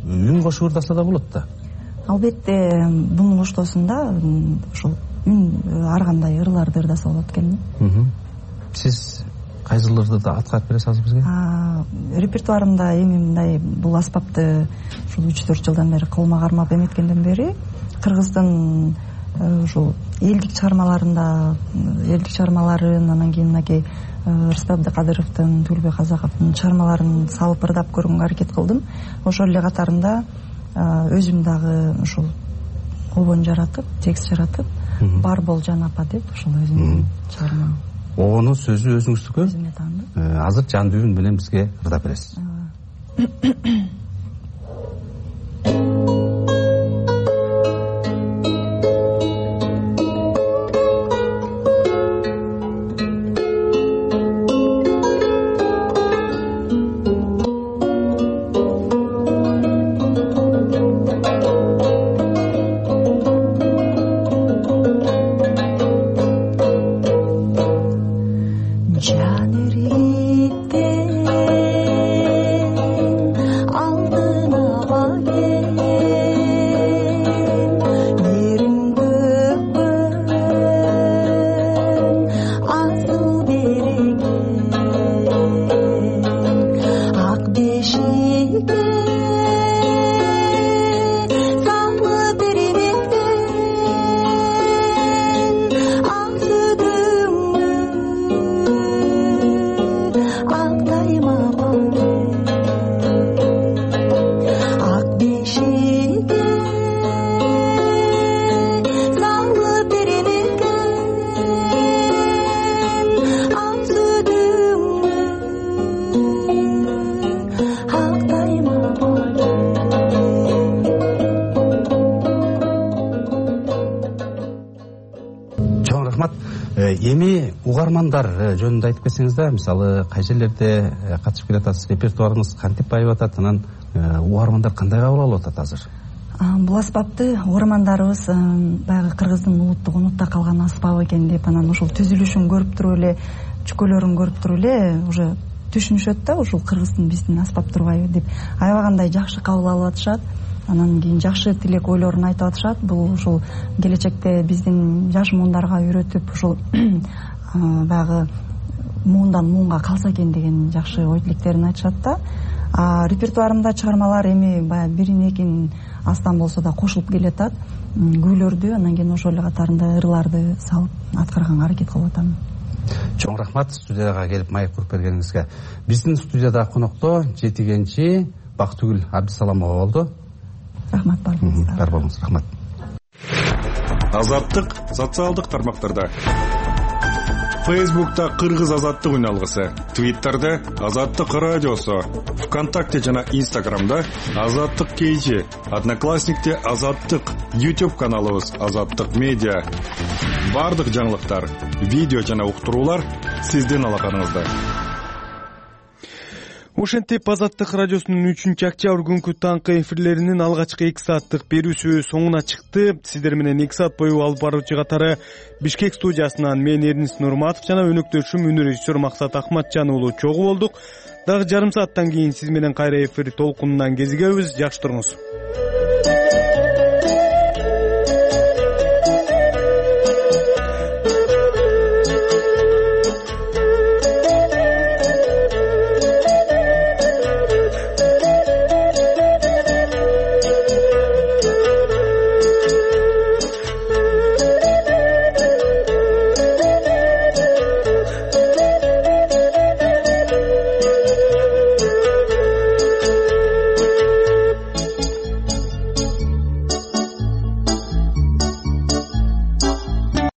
Q: Үн кошуп ырдаса да болот да.
R: Албетте бунун коштоосунда ушул үн ар кандай ырларды ырдаса болот экен.
Q: Сиз кайсыларды да аткарып бересиз бизге?
R: Репертуарымда эми мындай бул аспапты ушул үч төрт жылдан бери колума кармап эметкенден бери кыргыздын ушул элдик чыгармаларында, элдик чыгармаларын, анан кийин мынакей Рустам Абдыкадыровдун, Түгүлбек Казаковдун чыгармаларын салып ырдап көргөнгө аракет кылдым. Ошол эле катарында өзүм дагы ушул обон жаратып, текст жаратып, бар бол Жан апа деп ушул өзүмдүн чыгармам.
Q: Обонун сөзү өзүңүздүкү?
R: Өзүмө таандык.
Q: Азыр жандуу үн менен бизге ырдап бересиз. Эми угармандар жөнүндө айтып кетсеңиз да, мисалы кай жерлерде катышып келатасыз, репертуарыңыз кантип байып атат, анан угармандар кандай кабыл алып атат азыр?
R: Бул аспапты угармандарыбыз баягы кыргыздын улуттук унутта калган аспап экен деп, анан ушул түзүлүшүн көрүп туруп эле, чүкөлөрүн көрүп туруп эле уже түшүнүшөт да, ушул кыргыздын биздин аспап турбайбы деп аябагандай жакшы кабыл алып атышат. Анан кийин жакшы тилек ойлорун айтып атышат. Бул ушул келечекте биздин жаш муундарга үйрөтүп ушул баягы муундан муунга калса экен деген жакшы ой тилектерин айтышат да. А репертуарымда чыгармалар эми баягы бирин экин астан болсо да кошулуп келатат. Күүлөрдү, анан кийин ошол эле катарында ырларды салып аткарганга аракет кылып атам.
Q: Чоң рахмат студияга келип маек куруп бергениңизге. Биздин студияда конокто жетигенчи Бактыгүл Абдисаламова болду.
R: Рахмат баарыңызга.
Q: Бар болуңуз, рахмат.
S: Азаттык социалдык тармактарда.
P: Фейсбукта Кыргыз азаттык үналгысы, Твиттерде Азаттык радиосу, ВКонтакте жана Инстаграмда Азаттык кейжи, Одноклассникте Азаттык, YouTube каналыбыз Азаттык медиа. Бардык жаңылыктар, видео жана уктуруулар сиздин алаканыңызда.
A: Ошентип Азаттык радиосунун үчүнчү октябрь күнкү таңкы эфирлеринин алгачкы эки сааттык берүүсү соңуна чыкты. Сиздер менен эки саат бою алып баруучу катары Бишкек студиясынан мен Эрнис Нурматов жана өнөктөшүм үнү режиссер Максат Акматжан уулу чогуу болдук. Дагы жарым сааттан кийин сиз менен кайра эфир толкунунан кезигебиз. Жакшы туруңуз.